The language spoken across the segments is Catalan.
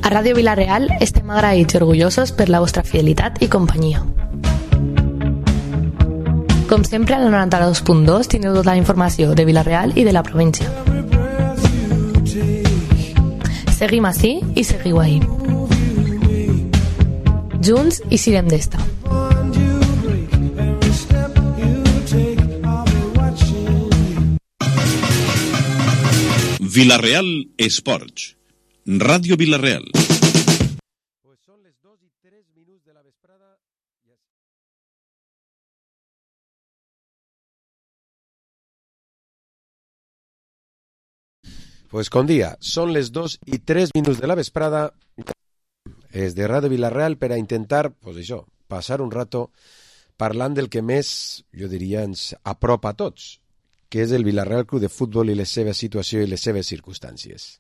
A Ràdio Vila-real estem agraïts i orgullosos per la vostra fidelitat i companyia. Com sempre, al 92.2 teniu tota la informació de Vila-real i de la província. Seguim ací i seguiu ahí. Junts i sirem d'esta. Vila-real Esports. Ràdio Vila-real. Pues són les 2:03 de la vesprada. Pues con dia, són les 2:03 de la vesprada. És de Ràdio Vila-real per a intentar, pues això, passar un rato parlant del que més, jo diria, ens apropa a tots, que és el Vila-real Club de Futbol i la seva situació i les seves circumstàncies.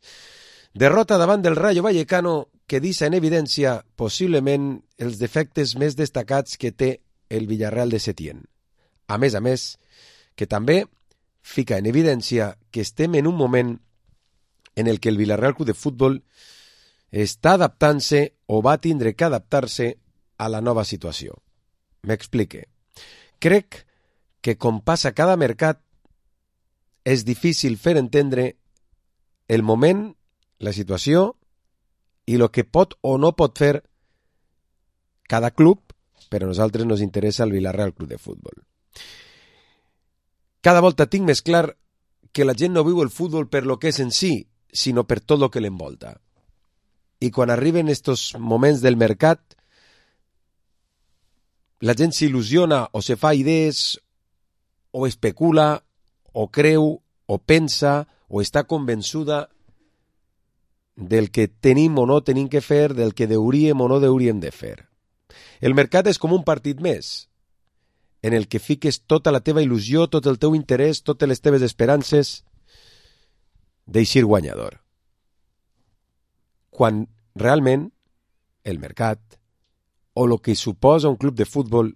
Derrota davant del Rayo Vallecano que deixa en evidència possiblement els defectes més destacats que té el Villarreal de Setién. A més, que també fica en evidència que estem en un moment en el que el Vila-real Club de Futbol està adaptant-se o va tindre que adaptar-se a la nova situació. M'explique. Crec que com passa cada mercat és difícil fer entendre el moment, la situació i el que pot o no pot fer cada club, però a nosaltres nos interessa el Vila-real Club de Futbol. Cada volta tinc més clar que la gent no viu el futbol per lo que és en si, sinó per tot el que l'envolta. I quan arriben estos moments del mercat, la gent s'il·lusiona o se fa idees o especula o creu o pensa o està convençuda del que tenim o no tenim que fer, del que hauríem o no hauríem de fer. El mercat és com un partit més, en el que fiques tota la teva il·lusió, tot el teu interès, totes les teves esperances d'eixir guanyador. Quan realment el mercat o el que suposa un club de futbol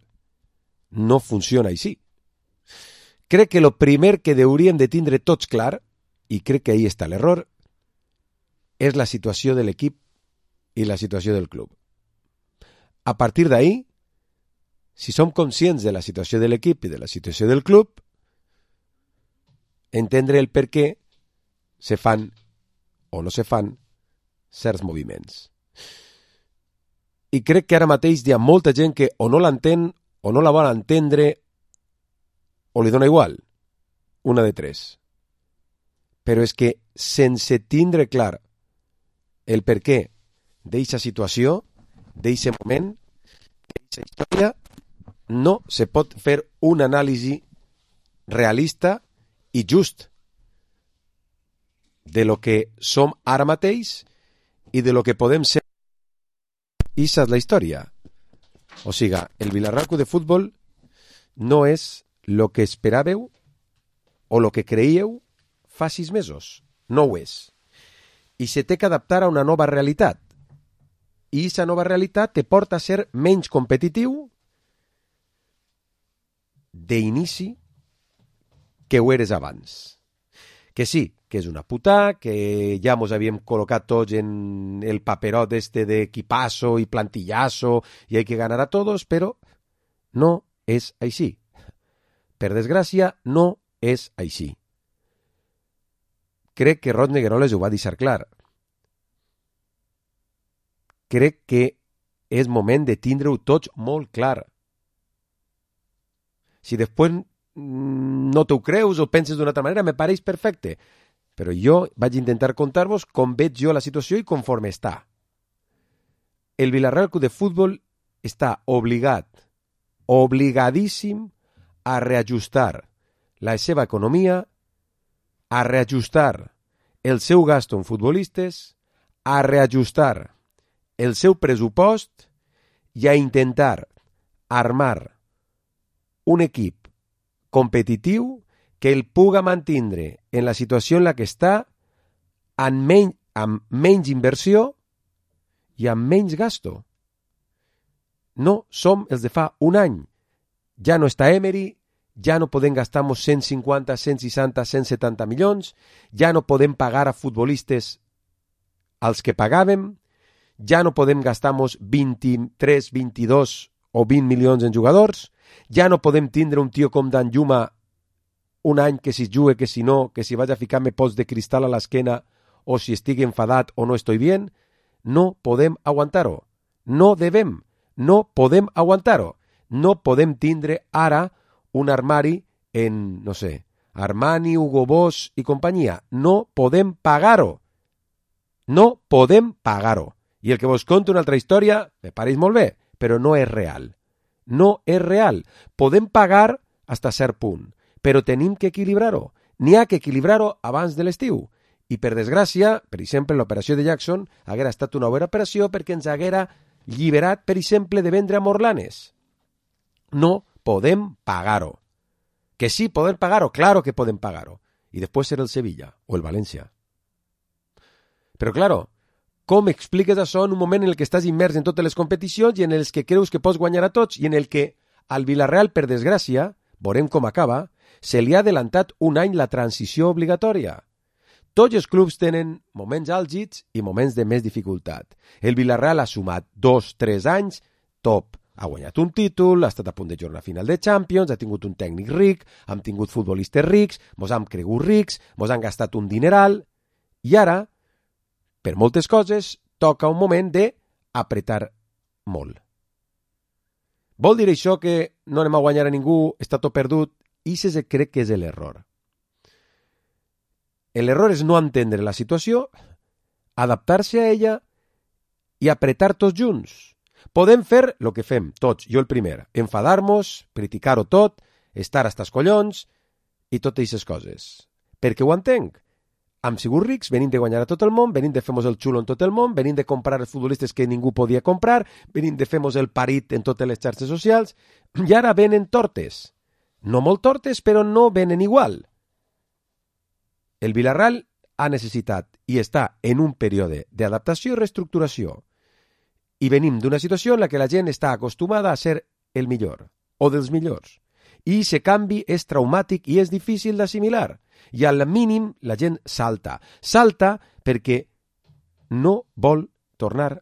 no funciona així. Crec que el primer que hauríem de tindre tots clar, i crec que ahí està l'error, és la situació de l'equip i la situació del club. A partir d'ahí, si som conscients de la situació de l'equip i de la situació del club, entendre el per què se fan o no se fan certs moviments. I crec que ara mateix hi ha molta gent que o no l'entén o no la vol entendre o li dona igual, una de tres. Però és que sense tindre clar el per què d'eixa situació, d'eixe moment, d'eixa història, no se pot fer una anàlisi realista i just de lo que som ara mateix i de lo que podem ser. Ixa és la història. O sigui, el Vila-real Club de Futbol no és lo que esperàveu o lo que creíeu fa 6 mesos. No ho és. I se té que adaptar a una nova realitat. I aquesta nova realitat te porta a ser menys competitiu d'inici que ho eres abans. Que sí, que és una puta, que ja mos havíem col·locat tots en el paperot este d'equipazo i plantillazo i hay que ganar a todos, però no és així. Per desgràcia, no és així. Crec que Rod Negueroles ho va deixar clar. Crec que és moment de tindre-ho tots molt clar. Si després no t'ho creus o penses d'una altra manera, me pareix perfecte. Però jo vaig intentar contar-vos com veig jo la situació i conforme està. El Vila-real Club de Futbol està obligadíssim a reajustar la seva economia, a reajustar el seu gasto en futbolistes, a reajustar el seu pressupost i a intentar armar un equip competitiu que el puga mantindre en la situació en la que està amb menys inversió i amb menys gasto. No som els de fa un any. Ja no està Emery, ja no podem gastar-nos 150, 160, 170 milions, ja no podem pagar a futbolistes als que pagàvem, ja no podem gastar-nos 23, 22 o 20 milions en jugadors, ja no podem tindre un tio com Dan Juma un any que si jugue, que si no, que si vaig a ficar-me pots de cristal a l'esquena o si estigui enfadat o no estoy bien. No podem aguantar-ho. No devem. No podem aguantar-ho. No podem tindre ara un armari en, no sé, Armani, Hugo Boss i companyia. No podem pagar-ho. No podem pagar-ho. I el que vos conto una altra història, me pareix molt bé, però no és real. No és real. Podem pagar fins a cert punt, però tenim que equilibrar-ho. N'hi ha que equilibrar-ho abans de l'estiu. I per desgràcia, per exemple, l'operació de Jackson haguera estat una bona operació perquè ens haguera lliberat, per exemple, de vendre a Morlanes. No podem pagar-ho. Que sí, podem pagar-ho, claro que podem pagar-ho. I després serà el Sevilla o el València. Però, claro, com expliques això en un moment en el que estàs immers en totes les competicions i en els que creus que pots guanyar a tots i en el que al Villarreal, per desgràcia, veurem com acaba, se li ha adelantat un any la transició obligatòria. Tots els clubs tenen moments àlgids i moments de més dificultat. El Villarreal ha sumat 2-3 anys, top. Ha guanyat un títol, ha estat a punt de jugar a final de Champions, ha tingut un tècnic ric, hem tingut futbolistes rics, mos hem cregut rics, mos han gastat un dineral, i ara, per moltes coses, toca un moment d'apretar molt. Vol dir això que no anem a guanyar a ningú, està tot perdut? I se crec que és l'error. L'error és no entendre la situació, adaptar-se a ella i apretar tots junts. Podem fer el que fem, tots, jo el primer, enfadar-nos, criticar-ho tot, estar hasta els collons i totes aquestes coses. Perquè ho entenc. Hem sigut rics, venim de guanyar a tot el món, venim de fer-nos el xulo en tot el món, venim de comprar els futbolistes que ningú podia comprar, venim de fer-nos el parit en totes les xarxes socials, i ara venen tortes. No molt tortes, però no venen igual. El Villarreal ha necessitat i està en un període d'adaptació i reestructuració. I venim d'una situació en la que la gent està acostumada a ser el millor, o dels millors. I aquest canvi és traumàtic i és difícil d'assimilar. I al mínim la gent salta. Salta perquè no vol tornar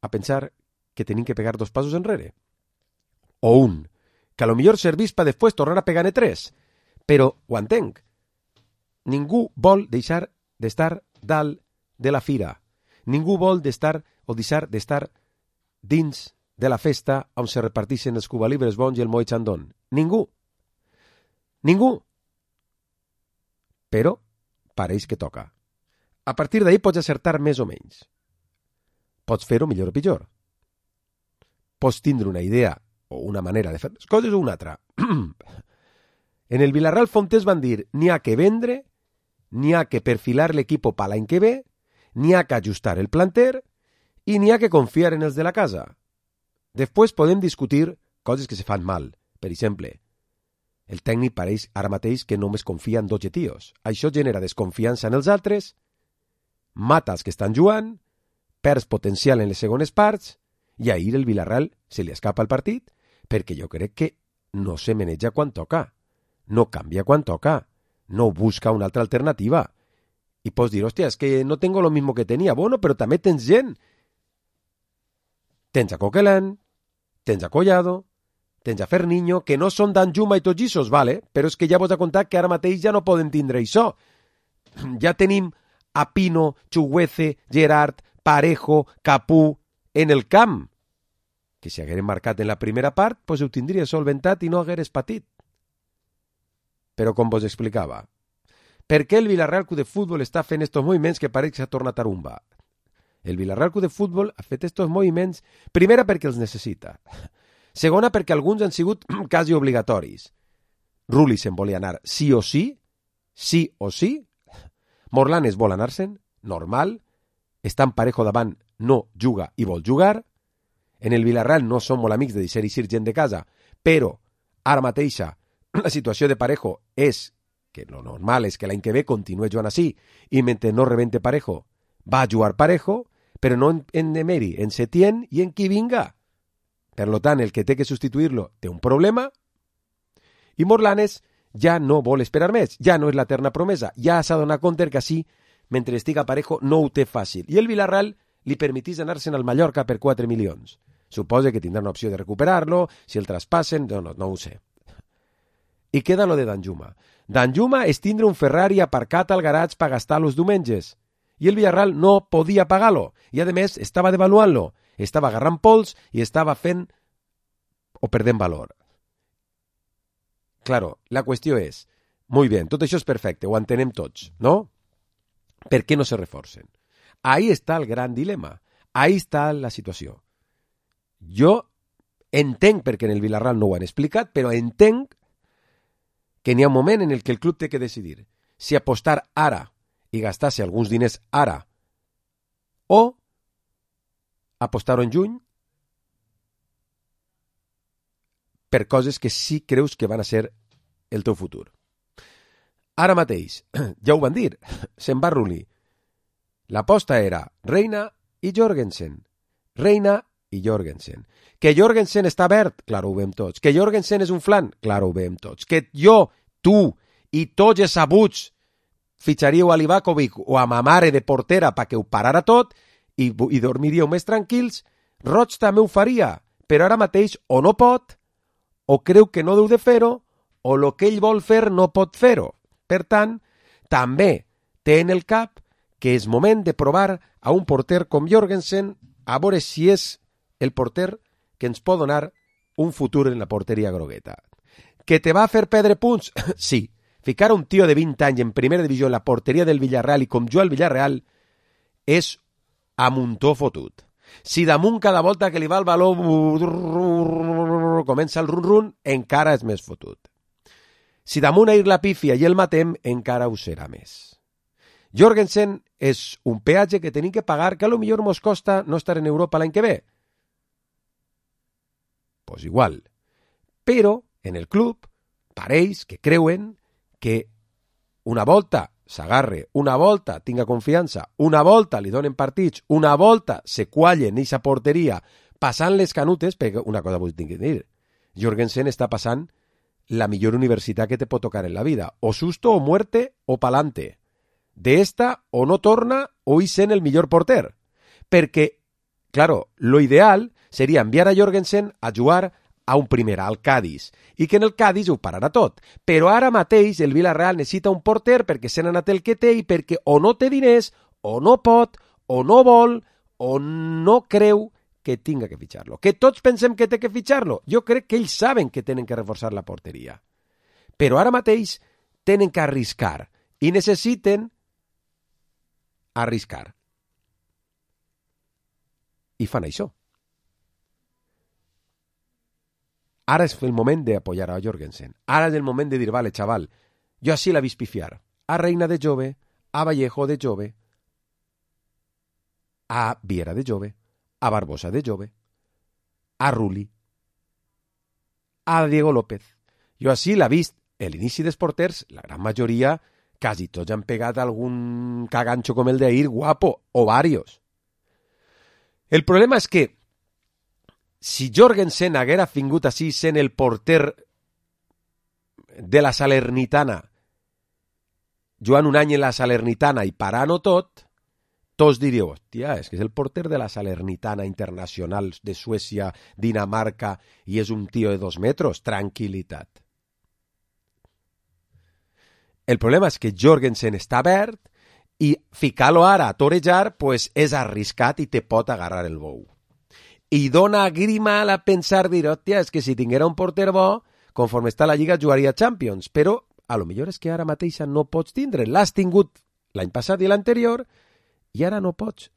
a pensar que tenim que pegar 2 passos enrere. O un, que a lo millor servís per després tornar a pegar-ne 3. Però ho entenc. Ningú vol deixar d'estar dalt de la fira. Ningú vol deixar d'estar dins de la festa on se reparteixen els cubalibres bons i el moe xandón. Ningú. Ningú. Però pareix que toca. A partir d'ahir pots acertar més o menys. Pots fer-ho millor o pitjor. Pots tindre una idea o una manera de fer les coses o una altra. En el Villarreal Fontés van dir n'hi ha que vendre, n'hi ha que perfilar l'equip per l'any que ve, n'hi ha que ajustar el planter i n'hi ha que confiar en els de la casa. Després podem discutir coses que se fan mal. Per exemple, el tècnic pareix ara mateix que només confia en 12 tios. Això genera desconfiança en els altres, mata els que estan jugant, perds potencial en les segones parts, i ahir el Villarreal se li escapa el partit perquè jo crec que no se maneja quan toca, no canvia quan toca, no busca una altra alternativa. I pots dir, hòstia, és que no tengo lo mismo que tenia. Bueno, però també tens gent. Tens a Coquelin, tens a Collado, tens a Ferniño, que no són Dan Juma i tots aquests, vale? Però és que ja vos he contat que ara mateix ja no poden tindre això. Ja tenim a Pino, Chuguece, Gerard, Parejo, Capú en el camp. Que si hagueren marcat en la primera part, pues ho tindria solventat i no hagueres patit. Però com vos explicava, per què el Villarreal Club de Futbol està fent estos moviments que pareix que s'ha tornat a rumba? El Villarreal Club de Futbol ha fet estos moviments, primera perquè els necessita, segona perquè alguns han sigut quasi obligatoris. Rulli se'n volia anar sí o sí, Morlanes vol anar-se'n, normal, està en Parejo davant, no juga i vol jugar, en el Villarreal no som molt amics de deixar eixir gent de casa, però ara mateixa la situació de Parejo és que lo normal és que l'any que ve continue jugant així i mentre no rebente Parejo va a jugar Parejo, però no en Emery, en Setién i en qui vinga. Per tant, el que té que substituir-lo té un problema i Morlanes ja no vol esperar més, ja no és l'eterna promesa, ja s'ha donat compte que així, mentre estiga Parejo, no ho té fàcil. I el Villarreal li permetís anar-se'n al Mallorca per 4 milions. Suposa que tindran opció de recuperar-lo, si el traspassen, no ho sé. I queda lo de Danjuma. Danjuma és tindre un Ferrari aparcat al garatge per gastar els diumenges. I el Villarreal no podia pagar-lo. I, a més, estava devaluant-lo. Estava agarrant pols i estava fent o perdent valor. Claro, la qüestió és, muy bien, tot això és perfecte, ho entenem tots, no? Per què no se reforcen? Ahí està el gran dilema. Ahí està la situació. Jo entenc perquè en el Villarreal no ho han explicat, però entenc que n'hi ha un moment en el que el club té que decidir si apostar ara i gastar-se alguns diners ara o apostar-ho en juny per coses que sí creus que van a ser el teu futur. Ara mateix, ja ho van dir, se'n va Rulli. L'aposta era Reina i Jorgensen. Reina i Jorgensen. Que Jorgensen està verd, clar, ho veiem tots. Que Jorgensen és un flan, clar, ho veiem tots. Que jo, tu i tots els sabuts fitxaríeu a Livakovic o a ma mare de portera perquè ho parara tot i dormiríeu més tranquils, Roig també ho faria, però ara mateix o no pot, o creu que no deu de fer-ho, o el que ell vol fer no pot fer-ho. Per tant, també té en el cap que és moment de provar a un porter com Jorgensen a veure si és el porter que ens pot donar un futur en la porteria grogueta. Que te va fer perdre punts? Sí. Ficar a un tio de 20 anys en primera divisió en la porteria del Villarreal i com jo al Villarreal és a muntó fotut. Si damunt cada volta que li va el baló comença el run-run, encara és més fotut. Si damunt a ir la pífia i el matem, encara ho serà més. Jorgensen és un peatge que tenim que pagar que a lo millor mos costa no estar en Europa l'any que ve. Pues igual. Però en el club pareix que creuen que una volta s'agarre, una volta tinga confiança, una volta li donen partits, una volta se quallen eixa porteria passant les canutes, perquè una cosa vull dir, Jorgensen està passant la millor universitat que te pot tocar en la vida, o susto o muerte o pa'lante. De esta o no torna o hi sent el millor porter. Perquè, claro, lo ideal seria enviar a Jorgensen a jugar a un primera, al Cádiz, i que en el Cádiz ho pararà tot. Però ara mateix el Villarreal necessita un porter perquè se n'ha anat el que té i perquè o no té diners, o no pot, o no vol, o no creu que tinga que fitxar-lo. Que tots pensem que té que fitxar-lo. Jo crec que ells saben que tenen que reforçar la porteria. Però ara mateix tenen que arriscar i necessiten arriscar. I fan això. Ara és el moment d'apoyar a Jorgensen. Ara és el moment de dir, vale, xaval, jo així la vist pifiar. A Reina de jove, a Vallejo de jove, a Viera de jove, a Barbosa de jove, a Rulli, a Diego López. Jo així l'ha vist l'inici dels porters, la gran majoria, quasi tots han pegat algun caganxo com el d'ahir, guapo, o varios. El problema és que si Jorgensen haguera vingut així sent el porter de la Salernitana, jugant un any en la Salernitana i parant-ho tot, tots diríeu, hòstia, és que és el porter de la Salernitana Internacional de Suècia, Dinamarca, i és un tio de 2 metres, tranquil·litat. El problema és que Jorgensen està verd i ficar-lo ara a torejar pues, és arriscat i te pot agarrar el bou. I dona grima a pensar, dir, hòstia, és que si tinguera un porter bo, conforme està la Lliga jugaria Champions, però a lo millor és que ara mateixa no pots tindre. L'has tingut l'any passat i l'anterior i ara no pots.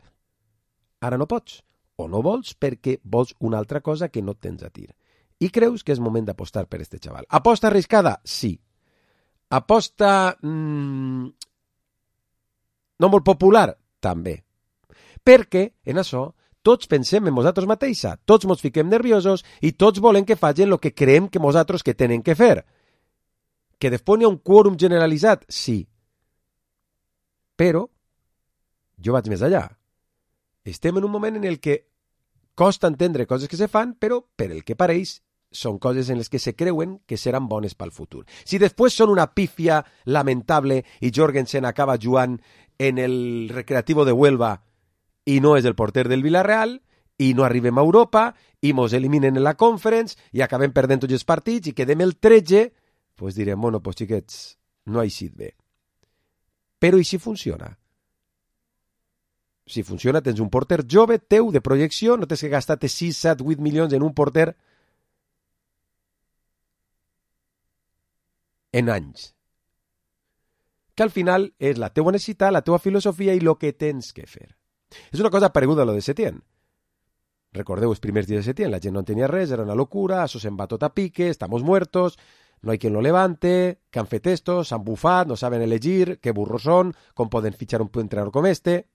Ara no pots. O no vols perquè vols una altra cosa que no tens a tir. I creus que és moment d'apostar per este xaval. Aposta arriscada? Sí. Aposta no molt popular? També. Perquè en això tots pensem en nosaltres mateixa, tots ens fiquem nerviosos i tots volem que facin el que creiem que nosaltres que tenen que fer. Que després hi ha un quòrum generalitzat? Sí. Però jo vaig més allà. Estem en un moment en el que costa entendre coses que se fan, però per el que pareix són coses en les que se creuen que seran bones pel futur. Si després són una pífia lamentable i Jorgensen acaba jugant en el Recreativo de Huelva i no és el porter del Villarreal, i no arribem a Europa, i mos eliminen en la Conference, i acabem perdent tots els partits, i quedem el 13, pues direm, bueno, pues xiquets, no ha eixit bé. Però i si funciona? Si funciona, tens un porter jove, teu, de projecció, no tens que gastar-te 6, 7, 8 milions en un porter en anys. Que al final és la teua necessitat, la teua filosofia i el que tens que fer. És una cosa pareguda a lo de Setién. Recordeu els primers dies de Setién, la gent no tenia res, era una locura, això se'n va tot a pique, estamos muertos, no hay quien lo levante, que han fet esto, s'han bufat, no saben elegir, que burros són, com poden fitxar un entrenador com este.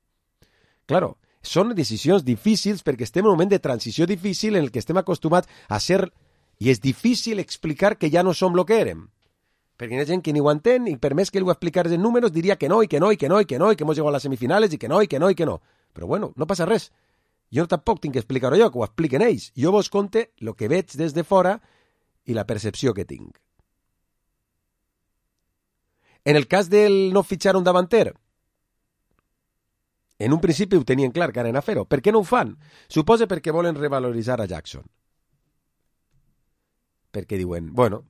Claro, són decisions difícils perquè estem en un moment de transició difícil en el que estem acostumats a ser, i és difícil explicar que ja no som lo que érem. Perquè hi ha gent que ni ho entén i per més que li ho explicares en números diria que no, i que no, i que no, i que no, i que hemos llegado a les semifinales, i que no, i que no, i que no. Però bueno, no passa res. Jo tampoc tinc que explicar-ho jo, que ho expliquen ells. Jo vos conte el que veig des de fora i la percepció que tinc. En el cas del no fitxar un davanter, en un principi ho tenien clar que anaven a fer-ho. Per què no ho fan? Suposa perquè volen revaloritzar a Jackson. Perquè diuen, bueno,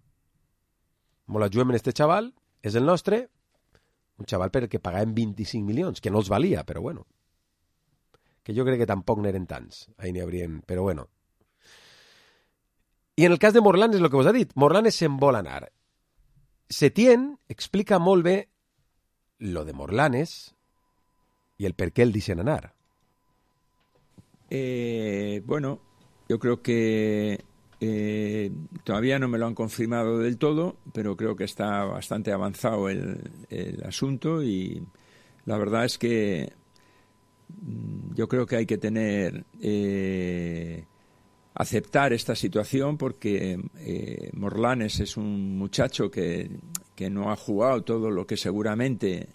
molt ajuem en este xaval, és el nostre, un xaval perquè pagàvem 25 milions, que no els valia, però bueno. Que jo crec que tampoc n'eren tants. Ahí n'hi haurien, però bueno. I en el cas de Morlanes és el que vos ha dit. Morlanes se'n vol anar. Setién explica molt bé lo de Morlanes y el per qué el dicen anar. Bueno, yo creo que todavía no me lo han confirmado del todo, pero creo que está bastante avanzado el asunto y la verdad es que yo creo que hay que tener aceptar esta situación porque Morlanes es un muchacho que no ha jugado todo lo que seguramente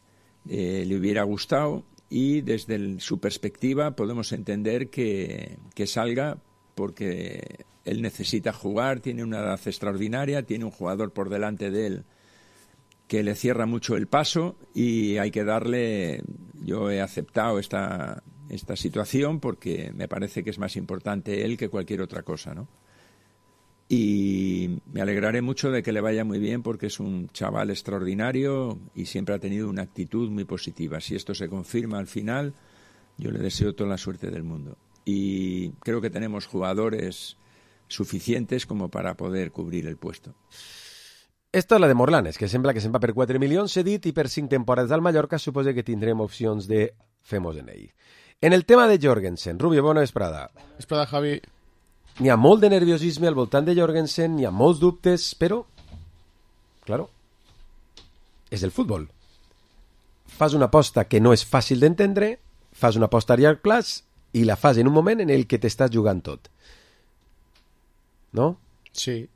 le hubiera gustado y desde su perspectiva podemos entender que salga porque él necesita jugar, tiene una edad extraordinaria, tiene un jugador por delante de él que le cierra mucho el paso y hay que darle, yo he aceptado esta situación porque me parece que es más importante él que cualquier otra cosa, ¿no? Y me alegraré mucho de que le vaya muy bien porque es un chaval extraordinario y siempre ha tenido una actitud muy positiva. Si esto se confirma al final, yo le deseo toda la suerte del mundo. Y creo que tenemos jugadores suficientes como para poder cubrir el puesto. Esta és la de Morlanes, que sembla que se'n va per 4 milions cedit i per 5 temporades al Mallorca suposa que tindrem opcions de femos en ell. En el tema de Jorgensen, Rubio, bona vesprada. Vesprada, Javi. N'hi ha molt de nerviosisme al voltant de Jorgensen, n'hi ha molts dubtes, però, claro, és el futbol. Fas una aposta que no és fàcil d'entendre, fas una aposta a llarg plaç i la fas en un moment en el que t'estàs jugant tot. No? Sí.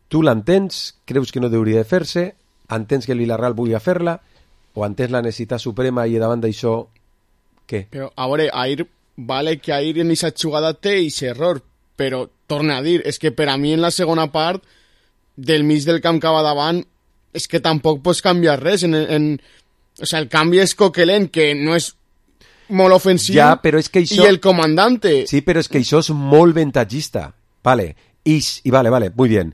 Tu l'entens, creus que no hauria de fer-se, entens que el Villarreal vulgui fer-la, o entens la necessitat suprema i davant d'això, què? Però, a veure, ahir, vale que ahir en aquesta jugada té aquest error, però, torna a dir, és que per a mi en la segona part, del mig del camp cap a davant, és que tampoc pots canviar res. O sea, el canvi és Coquelin, que no és molt ofensiu, ja, però és que això... i el comandante. Sí, però és que això és molt ventatgista. Vale, i vale, muy bien.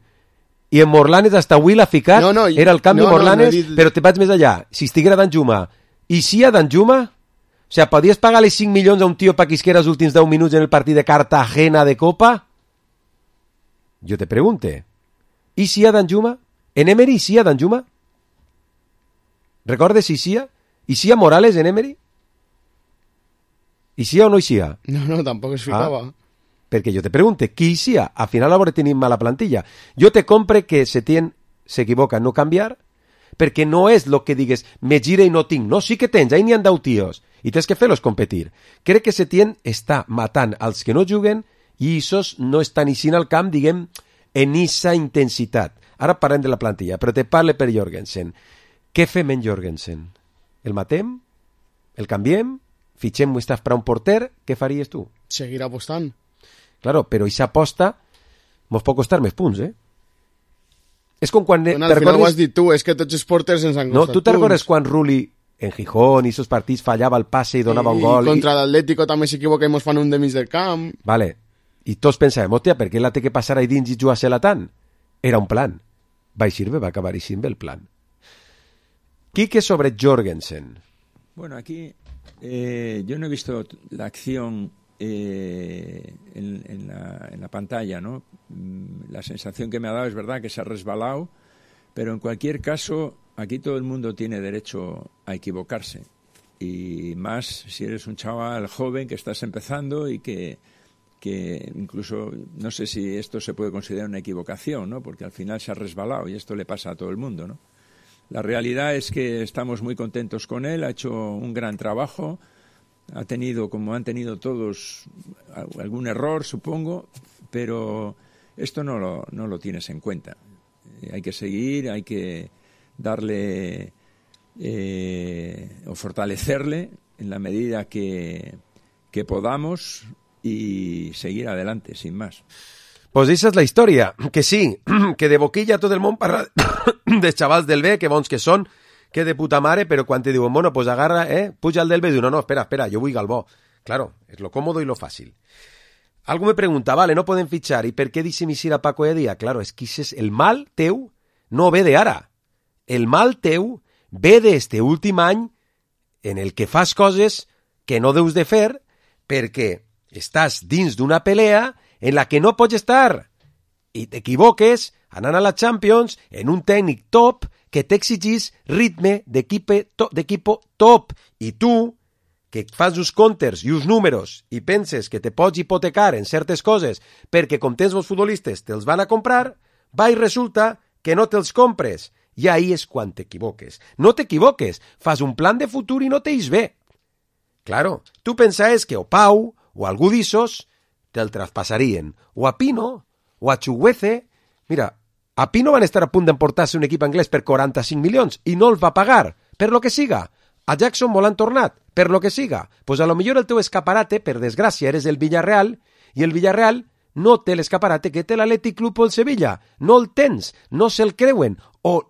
I en Morlanes hasta avui l'ha ficat, era el canvi Morlanes, però te vaig més allà. Si estiguera Danjuma, i si a Danjuma, o sea, podies pagar-li 5 milions a un tio pa que isquera els últims 10 minuts en el partit de Cartagena de Copa? Jo te pregunte. I si a Danjuma? En Emery, si a Danjuma? Recordes si sia? I si a Morales en Emery? I si o no hi sia? No, tampoc es ficava. Perquè jo te pregunte, qui hi sia? Al final hauré tenir mala plantilla. Jo te compre que Setién s'equivoca en no canviar, perquè no és el que digues, me gira i no tinc. No, sí que tens, ahí n'hi han 10 tios, i tens que fer-los competir. Crec que Setién està matant als que no juguen i esos no estan eixint al camp, diguem, en esa intensitat. Ara parlem de la plantilla, però te parle per Jorgensen. Què fem en Jorgensen? El matem? El canviem? Fitxem Mustafa per un porter? Què faries tu? Seguir apostant. Claro, però aquesta aposta mos pot costar més punts, eh? És com quan... Bueno, al final ho has dit tu, és que tots els porters ens han costat punts. No, tu te'n recordes quan Rulli en Gijón i esos partits fallava el passe i donava un gol. Contra l'Atlético també s'equivoca i mos fan un de mig del camp. Vale. I tots pensàvem, hòstia, per què la té que passar ahí dins i jugar-se-la tant? Era un plan. Va acabar així bé el plan. Quique sobre Jorgensen. Bueno, aquí yo no he visto la acción en la pantalla, ¿no? La sensación que me ha dado es verdad que se ha resbalado, pero en cualquier caso aquí todo el mundo tiene derecho a equivocarse, y más si eres un chaval joven que estás empezando y que incluso no sé si esto se puede considerar una equivocación, ¿no? Porque al final se ha resbalado y esto le pasa a todo el mundo, ¿no? La realidad es que estamos muy contentos con él, ha hecho un gran trabajo, ha tenido, como han tenido todos, algún error, supongo, pero esto no lo tienes en cuenta. Hay que seguir, hay que darle o fortalecerle en la medida que podamos y seguir adelante, sin más. Pues esa és la història, que sí, que de boquilla tot el món parla dels xavals del B, que bons que són, que de puta mare, però quan te diuen, bueno, pues agarra, puja el del B, diu, no, espera, jo vull Galbó. Claro, és lo cómodo y lo fácil. Algú me pregunta, vale, no poden fitxar, ¿y per què deixem eixir a Paco Heredia? Claro, és que el mal teu no ve de ara. El mal teu ve d'este últim any en el que fas coses que no deus de fer perquè estàs dins d'una pelea en la que no pots estar i t'equivoques anant a la Champions en un tècnic top que t'exigís ritme d'equipo top, i tu que fas uns comptes i uns números i penses que te pots hipotecar en certes coses perquè com tens els futbolistes te'ls van a comprar, va i resulta que no te'ls compres, i ahí és quan t'equivoques. No t'equivoques, fas un plan de futur i no t'eix bé. Claro, tu pensaves que o Pau o algú d'issos te'l traspassarien, o a Pino, o a Chuguece. Mira, a Pino van estar a punt d'emportar-se un equip anglès per 45 milions i no el va pagar, per lo que siga. A Jackson me l'han tornat, per lo que siga. Pues a lo millor el teu escaparate, per desgràcia, eres el Villarreal, i el Villarreal no té l'escaparate que té l'Atlètic Club o el Sevilla. No el tens, no se'l creuen, o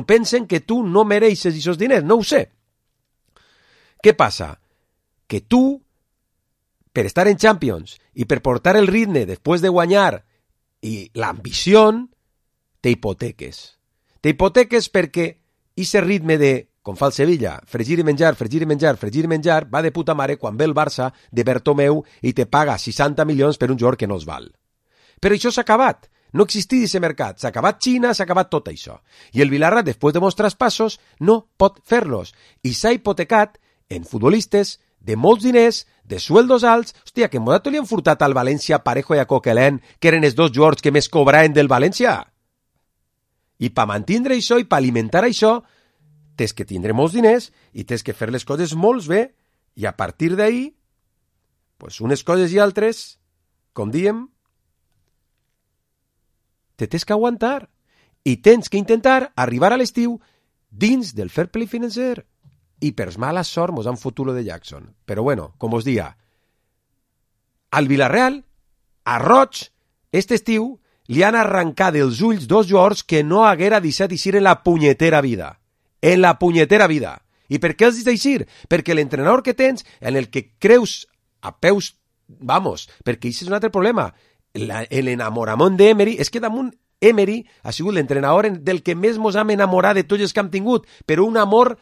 pensen que tu no mereixes aquests diners, no ho sé. Què passa? Que tu, per estar en Champions i per portar el ritme després de guanyar i l'ambició, t'hipoteques. T'hipoteques perquè aquest ritme de, com fa el Sevilla, fregir i menjar, va de puta mare quan ve el Barça de Bertomeu i te paga 60 milions per un jugador que no els val. Però això s'ha acabat. No existia aquest mercat. S'ha acabat Xina, s'ha acabat tot això. I el Villarreal, després de molts traspassos, no pot fer-los. I s'ha hipotecat en futbolistes de molts diners, de sueldos alts. Hòstia, que en Modato li han furtat al València Parejo i a Coquelin, que eren els dos jugadors que més cobraven del València. I per mantindre això i per alimentar això, tens que tindre molts diners i tens que fer les coses molt bé, i a partir d'ahí, pues unes coses i altres, com diem, te tens que aguantar i tens que intentar arribar a l'estiu dins del fair play financer. I per mala sort mos han fotut lo de Jackson. Però bueno, com us dia, al Villarreal, a Roig, este estiu, li han arrencat dels ulls dos jugadors que no haguera deixat eixir en la punyetera vida. En la punyetera vida. I per què els deixa eixir? Perquè l'entrenador que tens, en el que creus a peus, vamos, perquè això és un altre problema. L'enamorament d'Emery, és que damunt Emery ha sigut l'entrenador del que més mos hem enamorat de tots els que hem tingut, però un amor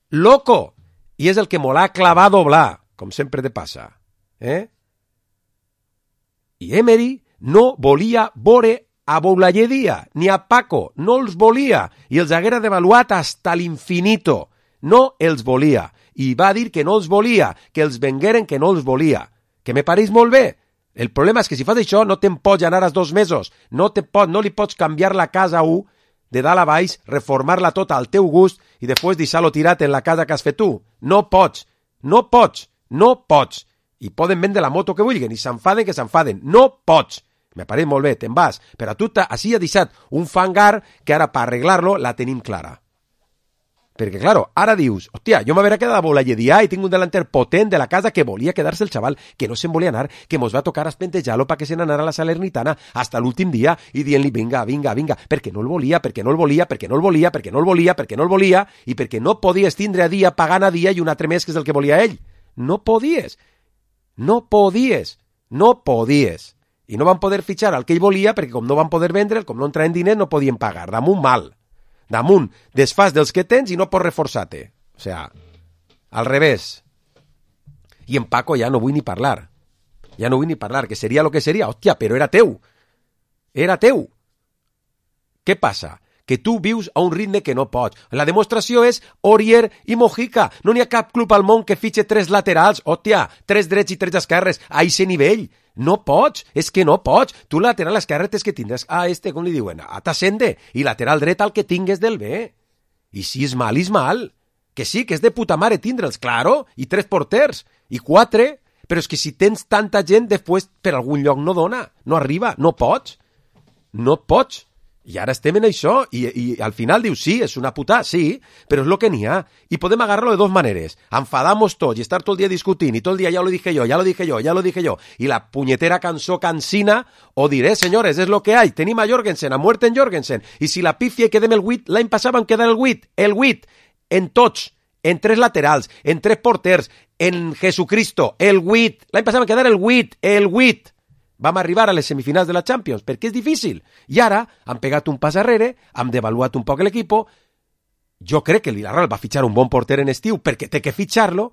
loco, i és el que m'ho ha clavat a doblar, com sempre te passa. I Emery no volia veure a Boulayedia ni a Paco, no els volia, i els haguera devaluat hasta l'infinito. No els volia, i va dir que no els volia, que els vengueren que no els volia, que me pareix molt bé. El problema és que si fas això no te'n pots anar als 2 mesos, no li pots canviar la casa a 1 de dalt a baix, reformar-la tota al teu gust i després deixar-lo tirat en la casa que has fet tu. No pots, no pots, no pots. I poden vendre la moto que vulguin i s'enfaden que s'enfaden. No pots. Me pareix molt bé, te'n vas. Però tu així has deixat un fangar que ara per arreglar-lo la tenim clara. Perquè, claro, ara dius, hòstia, jo m'haurà quedat a Bolalledià i tinc un delanter potent de la casa que volia quedar-se el xaval, que no se'n volia anar, que mos va tocar espentejar-lo perquè se n'anara a la Salernitana hasta l'últim dia i dient-li, vinga, perquè no el volia, perquè no el volia, perquè no el volia, perquè no el volia, perquè no el volia, i perquè no podies tindre a dia pagant a dia i un altre mes que és el que volia ell. No podies. I no van poder fitxar el que ell volia perquè com no van poder vendre'l, com no entraven diners, no podien pagar. Damunt mal. Damunt desfàs dels que tens i no pots reforçar-te. O sea, al revés. I en Paco ja no vull ni parlar. Que seria lo que seria. Hòstia, però era teu. Què passa? Que tu vius a un ritme que no pots. La demostració és Aurier i Mojica. No n'hi ha cap club al món que fitxe 3 laterals, hòstia, 3 drets i 3 esquerres, a aquest nivell. No pots, és que no pots. Tu lateral esquerre tens que tindràs a com li diuen, a Tassende, i lateral dret al que tingues del bé. I si és mal. Que sí, que és de puta mare tindre'ls, claro, i 3 porters, i 4, però és que si tens tanta gent, després per algun lloc no dona, no arriba, no pots. I ara estem en això, i al final dius, sí, és una puta, sí, però és lo que n'hi ha. I podem agarrar-lo de 2 maneres. Enfadar-nos tots i estar tot el dia discutint, i tot el dia ya lo dije yo, i la punyetera cançó cansina, o diré, senyores, és lo que hay, tenim a Jorgensen, a muerte en Jorgensen, i si la pifia i quedem el 8, l'any passat vam quedar el 8, en tots, en 3 laterals, en 3 porters, en Jesucristo, el 8, l'any passat vam quedar el 8, vam arribar a les semifinals de la Champions, perquè és difícil. I ara han pegat un pas arrere, han devaluat un poc l'equip. Jo crec que el Villarreal va fitxar un bon porter en estiu perquè té que fitxar-lo.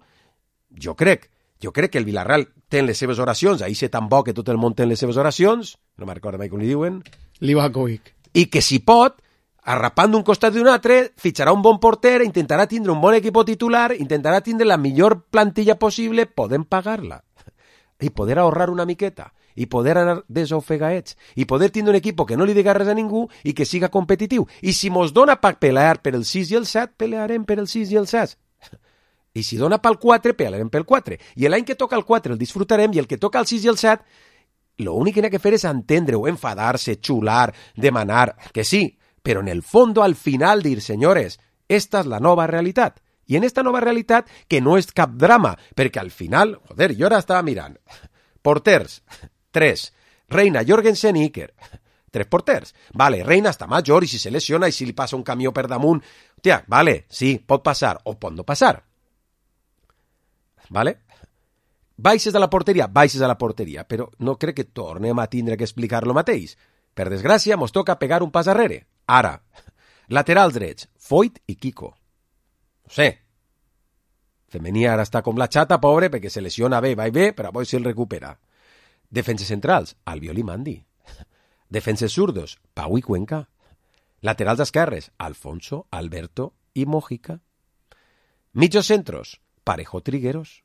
Jo crec que el Villarreal té les seves oracions, ahir sé tan bo que tot el món té les seves oracions, no me'n recordo mai com li diuen, Livakovic. i que si pot, arrapant d'un costat d'un altre, fitxarà un bon porter, intentarà tindre un bon equip titular, intentarà tindre la millor plantilla possible, podem pagar-la i poder ahorrar una miqueta i poder anar desofegaets i poder tindre un equip que no li diga res a ningú i que siga competitiu. I si mos dona per pelear per el 6 i el 7, pelearem per el 6 i el 7. I si dona pel 4, pelearem pel 4. I l'any que toca el 4 el disfrutarem i el que toca el 6 i el 7, l'únic que n'hi ha que fer és entendre-ho, enfadar-se, xular, demanar, que sí, però en el fondo, al final, dir, senyores, esta és la nova realitat. I en esta nova realitat, que no és cap drama, perquè al final, joder, jo ara estava mirant, porters, 3, Reina, Jorgensen i Iker, 3 porters. Vale, Reina està major i si se lesiona i si li passa un camió per damunt, hòstia, vale, sí, pot passar o pot no passar. Vale? Baixes a la porteria, però no crec que tornem a tindre que explicar lo mateix. Per desgràcia, mos toca pegar un pas arrere. Ara, laterals drets, Foyt i Kiko. No sé. Femení ara està com la xata, pobre, perquè se lesiona bé, va i bé, però avui se'l recupera. Defenses centrals, Albiol i Mandi. Defenses zurdos, Pau i Cuenca. Laterals esquerres, Alfonso, Alberto i Mojica. Mitjos centros, Parejo, Trigueros.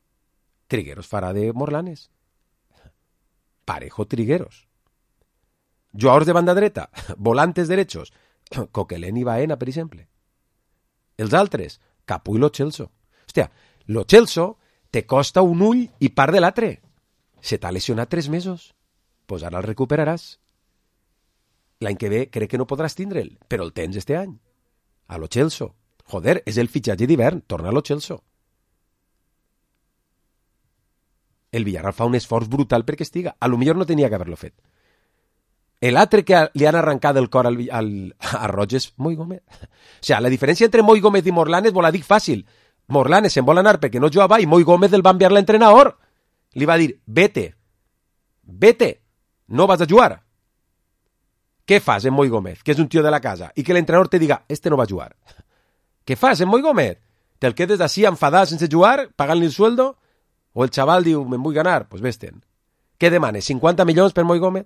Trigueros farà de Morlanes. Parejo, Trigueros. Jugadors de banda dreta, volantes derechos, Coquelin i Baena, per exemple. Els altres, Capu i Lo Celso. Hòstia, Lo Celso te costa un ull i part de l'altre. Se t'ha lesionat 3 mesos. Pues ara el recuperaràs. L'any que ve crec que no podràs tindre'l, però el tens este any. A Lo Celso. Joder, és el fitxatge d'hivern, torna a Lo Celso. El Villarreal fa un esforç brutal perquè estiga. A lo millor no tenia que haver-lo fet. L'altre que li han arrencat el cor a Roig és Moi Gómez. O sigui, la diferència entre Moi Gómez i Morlanes vol dir fàcil. Morlanes se'n vol anar perquè no jugava i Moi Gómez el va enviar l'entrenador. Li va dir, vete, no vas a jugar. Què fas en Moi Gómez, que és un tio de la casa, i que l'entrenador te diga, este no va a jugar? Què fas en Moi Gómez? Te'l quedes així enfadat sense jugar, pagant-li el sueldo? O el xaval diu, me'n vull ganar? Pues vés-te'n. Què demanes, 50 milions per Moi Gómez?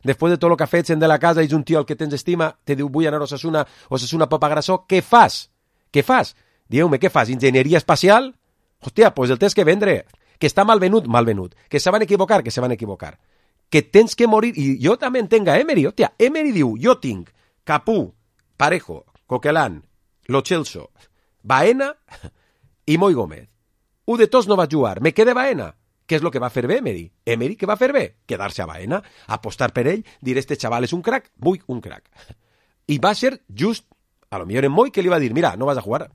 Després de tot el que ha fet, sent de la casa, és un tio al que tens estima, te diu, vull anar a Osasuna pot pagar això, què fas? Dieu-me, què fas? Enginyeria espacial? Hòstia, pues el tens que vendre. Que està mal venut. Que se van equivocar. Que tens que morir. I jo també entenc a Emery. Hòstia, Emery diu, jo tinc Capú, Parejo, Coquelin, Lo Celso, Baena i Moi Gómez. Un de tots no va jugar. Me queda Baena. Què és el que va fer bé Emery? Emery què va fer bé? Quedar-se a Baena, apostar per ell, dir este xaval és un crac, vull un crac. I va ser just A lo millor en Moi que li va dir, mira, no vas a jugar.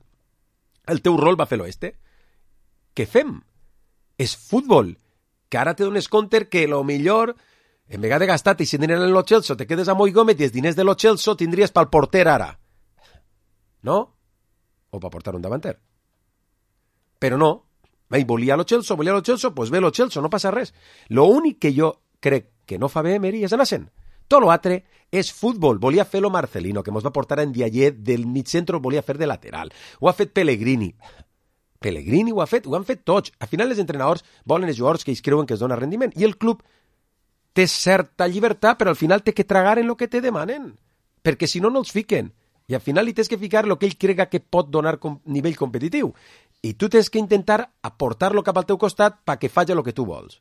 El teu rol va fer l'oeste. Què fem? És futbol. Que ara te dones compte que lo millor, en vegada de gastar-te i si diners en lo Chelsea, te quedes a Moi Gómez i els diners de lo Chelsea tindries pel porter ara. No? O per portar un davanter. Però no. Volia lo Chelsea, pues ve lo Chelsea, no passa res. Lo únic que jo crec que no fa bé Emery és anar-se'n. Tot l'altre és futbol. Volia fer lo Marcelino, que mos va portar en Diayer del mig centre, volia fer de lateral. Ho ha fet Pellegrini. Pellegrini ho han fet tots. Al final els entrenadors volen els jugadors que ells creuen que es dona rendiment. I el club té certa llibertat, però al final té que tragar en el que te demanen. Perquè si no, no els fiquen. I al final li tens que ficar el que ell crega que pot donar nivell competitiu. I tu tens que intentar aportar-lo cap al teu costat perquè faci el que tu vols.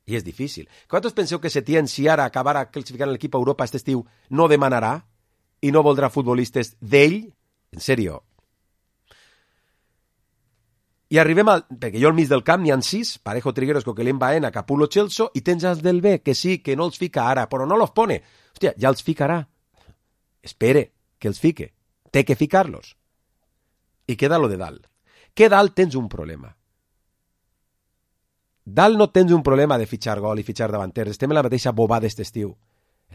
I és difícil. Quantos penseu que Setién, si ara acabara classificant l'equip a Europa aquest estiu, no demanarà i no voldrà futbolistes d'ell? En sèrio. I arribem al... Perquè jo al mig del camp n'hi ha 6, Parejo, Trigueros, Coquelin, Baena, Capulo, Chelsea, i tens els del B, que sí, que no els fica ara, però no los pone. Hòstia, ja els ficarà. Espere que els fique. Té que ficar-los. I queda lo de dalt. Que dalt tens un problema. Dalt no tens un problema de fitxar gol i fitxar davanters. Estem en la mateixa bobada d'este estiu.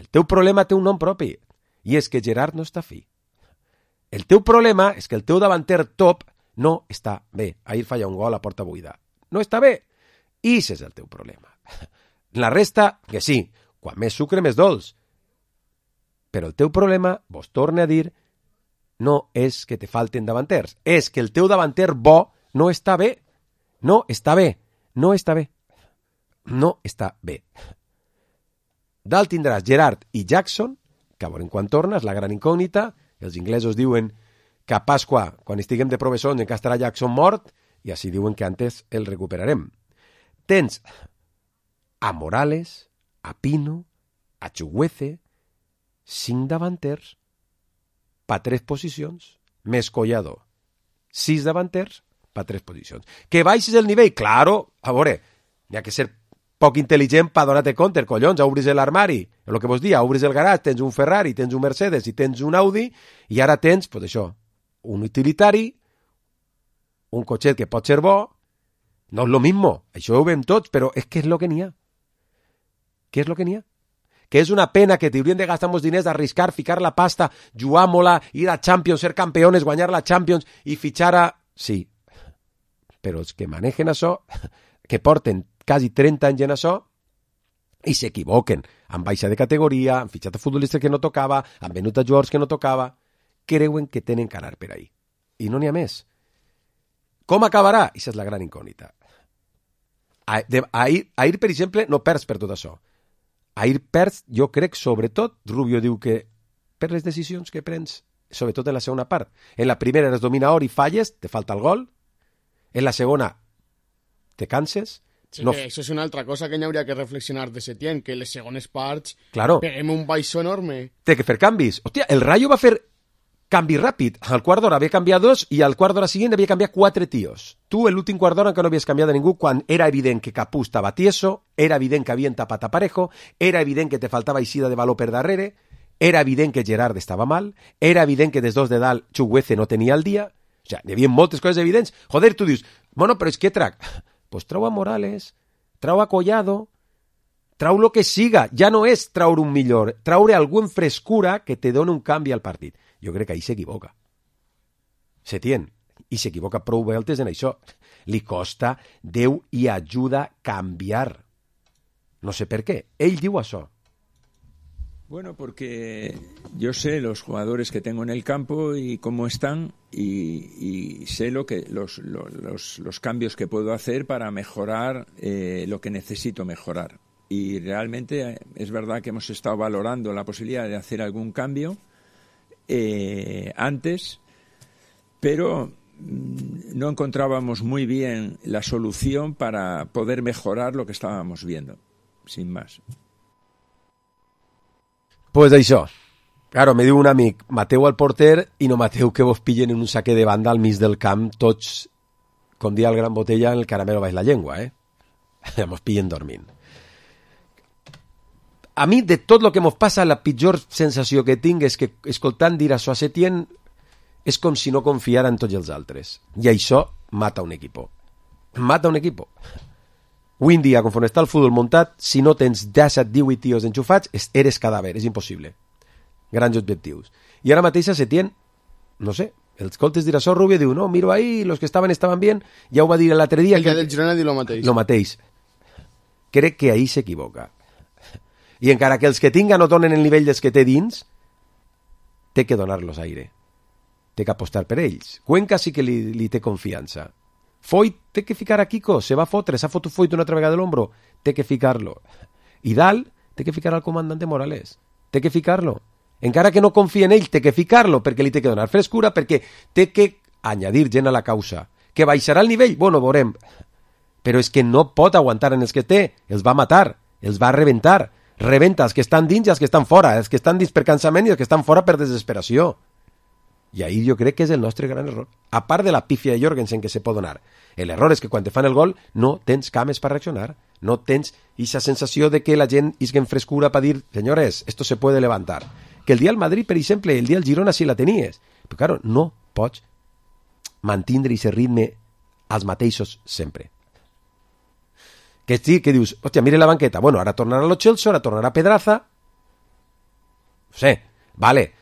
El teu problema té un nom propi, i és que Gerard no està fi. El teu problema és que el teu davanter top no està bé. Ahir falla un gol a porta buida. No està bé. I ese és el teu problema. La resta, que sí, quan més sucre, més dolç. Però el teu problema, vos torne a dir, no és que te falten davanters. És que el teu davanter bo no està bé. No està bé. No està bé. No està bé. Dalt tindràs Gerard i Jackson, que a veure quan torna, és la gran incògnita. Els inglesos diuen que a Pasqua, quan estiguem de professors, encara estarà Jackson mort, i així diuen que antes el recuperarem. Tens a Morales, a Pino, a Chuguece, 5 davanters, pa 3 posicions, més Collado, 6 davanters, per 3 posicions. Que baixis el nivell? Claro, a veure, n'hi ha que ser poc intel·ligent per donar-te compte, collons, obris l'armari, el que vos dia, obris el garatge, tens un Ferrari, tens un Mercedes i tens un Audi, i ara tens, pues això, un utilitari, un cotxet que pot ser bo, no és lo mismo, això ho veiem tots, però és que és lo que n'hi ha. Què és lo que n'hi ha? Que és una pena que t'haurien de gastar molts diners, arriscar, ficar la pasta, jugar-mola, ir a Champions, ser campeones, guanyar la Champions i fitxar a... Sí, però els que manegen això, que porten quasi 30 anys en això, i s'equivoquen. Han baixat de categoria, han fitxat a futbolistes que no tocava, han venut a jugadors que no tocava, creuen que tenen que anar per ahí. I no n'hi ha més. Com acabarà? Aquesta és la gran incògnita. Ahir, per exemple, no perds per tot això. Ahir perds, jo crec, sobretot, Rubio diu que per les decisions que prens, sobretot en la segona part. En la primera eres dominador i falles, te falta el gol. En la segona te canses. Sí, no... Això és una altra cosa que n'hauria que reflexionar de Setién, que les segones parts claro. Peguem un baixó enorme. Té que fer canvis. Hòstia, el Rayo va fer canvi ràpid. Al quart d'hora havia canviat 2 i al quart d'hora següent havia canviat 4 tios. Tu, l'últim quart d'hora encara no havies canviat a ningú quan era evident que Capú estava tieso, era evident que havien tapat a Parejo, era evident que te faltava eixida de valor per darrere, era evident que Gerard estava mal, era evident que des dos de dalt Chuguece no tenia el dia. O sigui, hi havia moltes coses evidents. Joder, tu dius, bueno, però és que trac. Pues trau a Morales, trau a Collado, trau lo que siga. Ja no és traure un millor, traure algú en frescura que te doni un canvi al partit. Jo crec que ahí s'equivoca. Setién, i s'equivoca prou voltes en això. Li costa Déu i ajuda a canviar. No sé per què. Ell diu això. Bueno, porque yo sé los jugadores que tengo en el campo y cómo están y sé lo que los cambios que puedo hacer para mejorar lo que necesito mejorar. Y realmente es verdad que hemos estado valorando la posibilidad de hacer algún cambio antes, pero no encontrábamos muy bien la solución para poder mejorar lo que estábamos viendo, sin más. Pues això. Claro, me diu un amic, mateu al porter i no mateu que vos pillen en un saque de banda al mig del camp, tots, com dia el gran Botella, en el caramelo baix la llengua, Mos pillen dormint. A mi, de tot el que mos passa, la pitjor sensació que tinc és que, escoltant dir això a Setién, és com si no confiara en tots els altres. I això mata un equip. Mata un equip. Avui en dia, conforme està el futbol muntat, si no tens 17-18 tios enxufats, eres cadàver, és impossible. Grans objectius. I ara mateix a Setién, no sé, els coltes d'Irassol Rubio diu, no, miro ahí, los que estaven bien, ja ho va dir l'altre dia. El dia del Girona diu lo mateix. Lo mateix. Crec que ahí s'equivoca. I encara que els que tinga no donen el nivell dels que té dins, té que donar-los aire. Té que apostar per ells. Cuenca sí que li té confiança. Foyt té que ficar a Kiko, se va fotre, s'ha fotut Foyt una altra vegada de l'ombro, té que ficar-lo. I dalt té que ficar al comandante Morales, té que ficar-lo. Encara que no confia en ell, té que ficar-lo, perquè li té que donar frescura, perquè té que añadir gent a la causa. Que baixarà el nivell? Bueno, veurem. Però és que no pot aguantar en els que té, els va matar, els va rebentar. Rebenta els que estan dins i els que estan fora, els que estan dins per cansament i els que estan fora per desesperació. I ahí jo crec que és el nostre gran error. A part de la pífia de Jorgensen que se pot donar. L'error és que quan te fan el gol no tens cames per reaccionar. No tens esa sensació de que la gent isguen frescura per dir, senyores, esto se puede levantar. Que el dia al Madrid, per exemple, el dia al Girona sí la tenies. Però, claro, no pots mantindre aquest ritme als mateixos sempre. Que sí, que dius, hòstia, mire la banqueta. Bueno, ara tornarà Lo Celso, ara tornarà Pedraza. No sé, vale,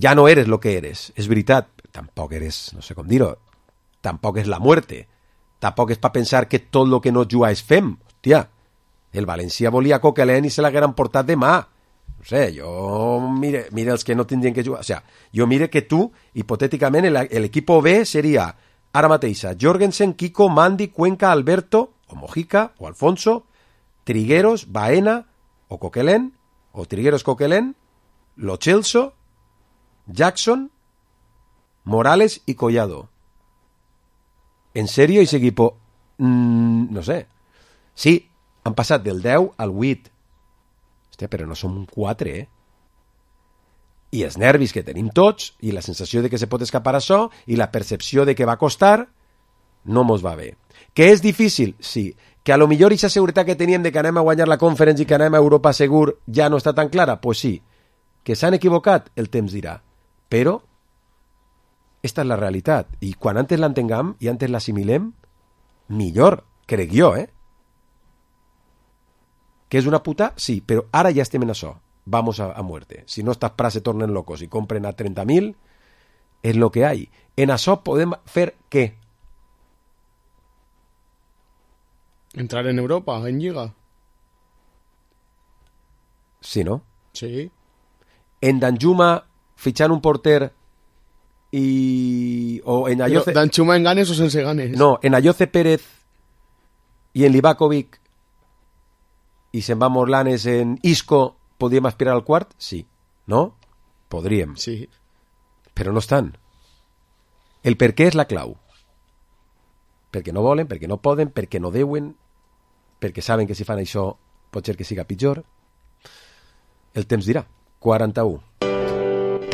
ja no eres lo que eres, és veritat. Tampoc eres, no sé com dir-ho, tampoc és la muerte. Tampoc és per pensar que tot lo que no juga és fem. Hòstia, el València volia Coquelin i se l'hagueren portat demà. No sé, jo mire els que no tindrien que jugar. O sea, jo mire que tu, hipotèticament, l'equip B seria ara mateixa Jorgensen, Kiko, Mandy, Cuenca, Alberto, o Mojica, o Alfonso, Trigueros, Baena, o Coquelin, o Trigueros, Coquelin, Lo Celso, Jackson, Morales y Collado. En serio, ese equipo, no sé. Sí, han passat del 10 al 8. Hòstia, però no som 4, I els nervis que tenim tots, i la sensació de que se pot escapar això, i la percepció de que va costar, no mos va bé. Que és difícil? Sí. Que a lo millor aquesta seguretat que teníem de que anem a guanyar la Conference i que anem a Europa segur ja no està tan clara? Pues sí. Que s'han equivocat? El temps dirà. Però esta és la realitat. I quan antes l'entenguem i antes l'assimilem, millor, crec jo, Que és una puta? Sí, però ara ja estem en això. Vamos a muerte. Si no estas pras se tornen locos y compren a 30.000, es lo que hay. En això podem fer què? Entrar en Europa, en Lliga. Sí, no? Sí. En Danjuma fichant un porter o en Ayoce... Danjuma en ganes o sense ganes? No, en Ayoce Pérez i en Livakovic i se'n va Morlanes en Isco, podríem aspirar al quart? Sí. No? Podríem. Sí. Però no estan. El per què és la clau. Perquè no volen, perquè no poden, perquè no deuen, perquè saben que si fan això pot ser que siga pitjor. El temps dirà. 41.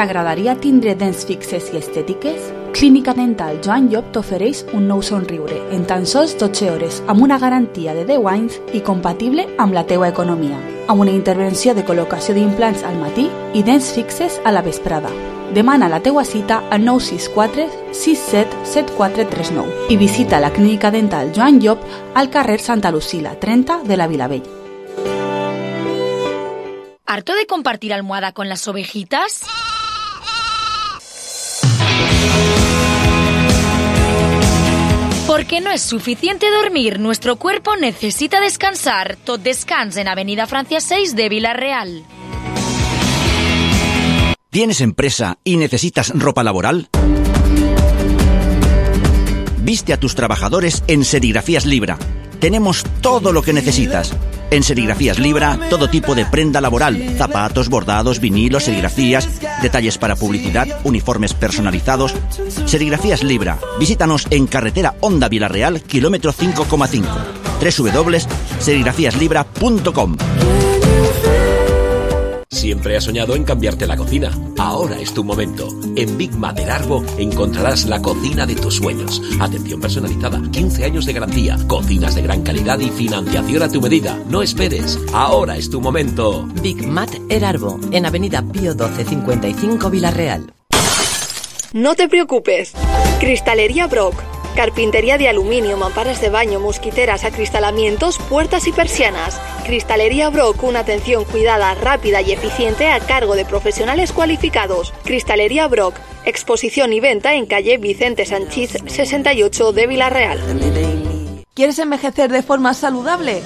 T'agradaria tindre dents fixes i estètiques? Clínica Dental Joan Llop t'ofereix un nou somriure en tan sols 12 hores amb una garantia de 10 anys i compatible amb la teua economia, amb una intervenció de col·locació d'implants al matí i dents fixes a la vesprada. Demana la teua cita al 964 67 7439 i visita la Clínica Dental Joan Llop al carrer Santa Lucila 30 de la Vilavell. ¿Harto de compartir almohada con las ovejitas? Porque no es suficiente dormir, nuestro cuerpo necesita descansar. Tot Descans en Avenida Francia 6 de Vila-real. ¿Tienes empresa y necesitas ropa laboral? Viste a tus trabajadores en Serigrafías Libra. Tenemos todo lo que necesitas. En Serigrafías Libra, todo tipo de prenda laboral, zapatos, bordados, vinilos, serigrafías, detalles para publicidad, uniformes personalizados. Serigrafías Libra. Visítanos en carretera Honda Vila-real, kilómetro 5,5. www.serigrafíaslibra.com. Siempre has soñado en cambiarte la cocina. Ahora es tu momento. En Big Mat del Arbo encontrarás la cocina de tus sueños. Atención personalizada, 15 años de garantía, cocinas de gran calidad y financiación a tu medida. No esperes. Ahora es tu momento. Big Mat El Arbo, en Avenida Pío 1255 Vila-real. No te preocupes. Cristalería Brock. Carpintería de aluminio, mamparas de baño, mosquiteras, acristalamientos, puertas y persianas. Cristalería Brock, una atención cuidada, rápida y eficiente a cargo de profesionales cualificados. Cristalería Brock, exposición y venta en calle Vicente Sanchís 68 de Villarreal. ¿Quieres envejecer de forma saludable?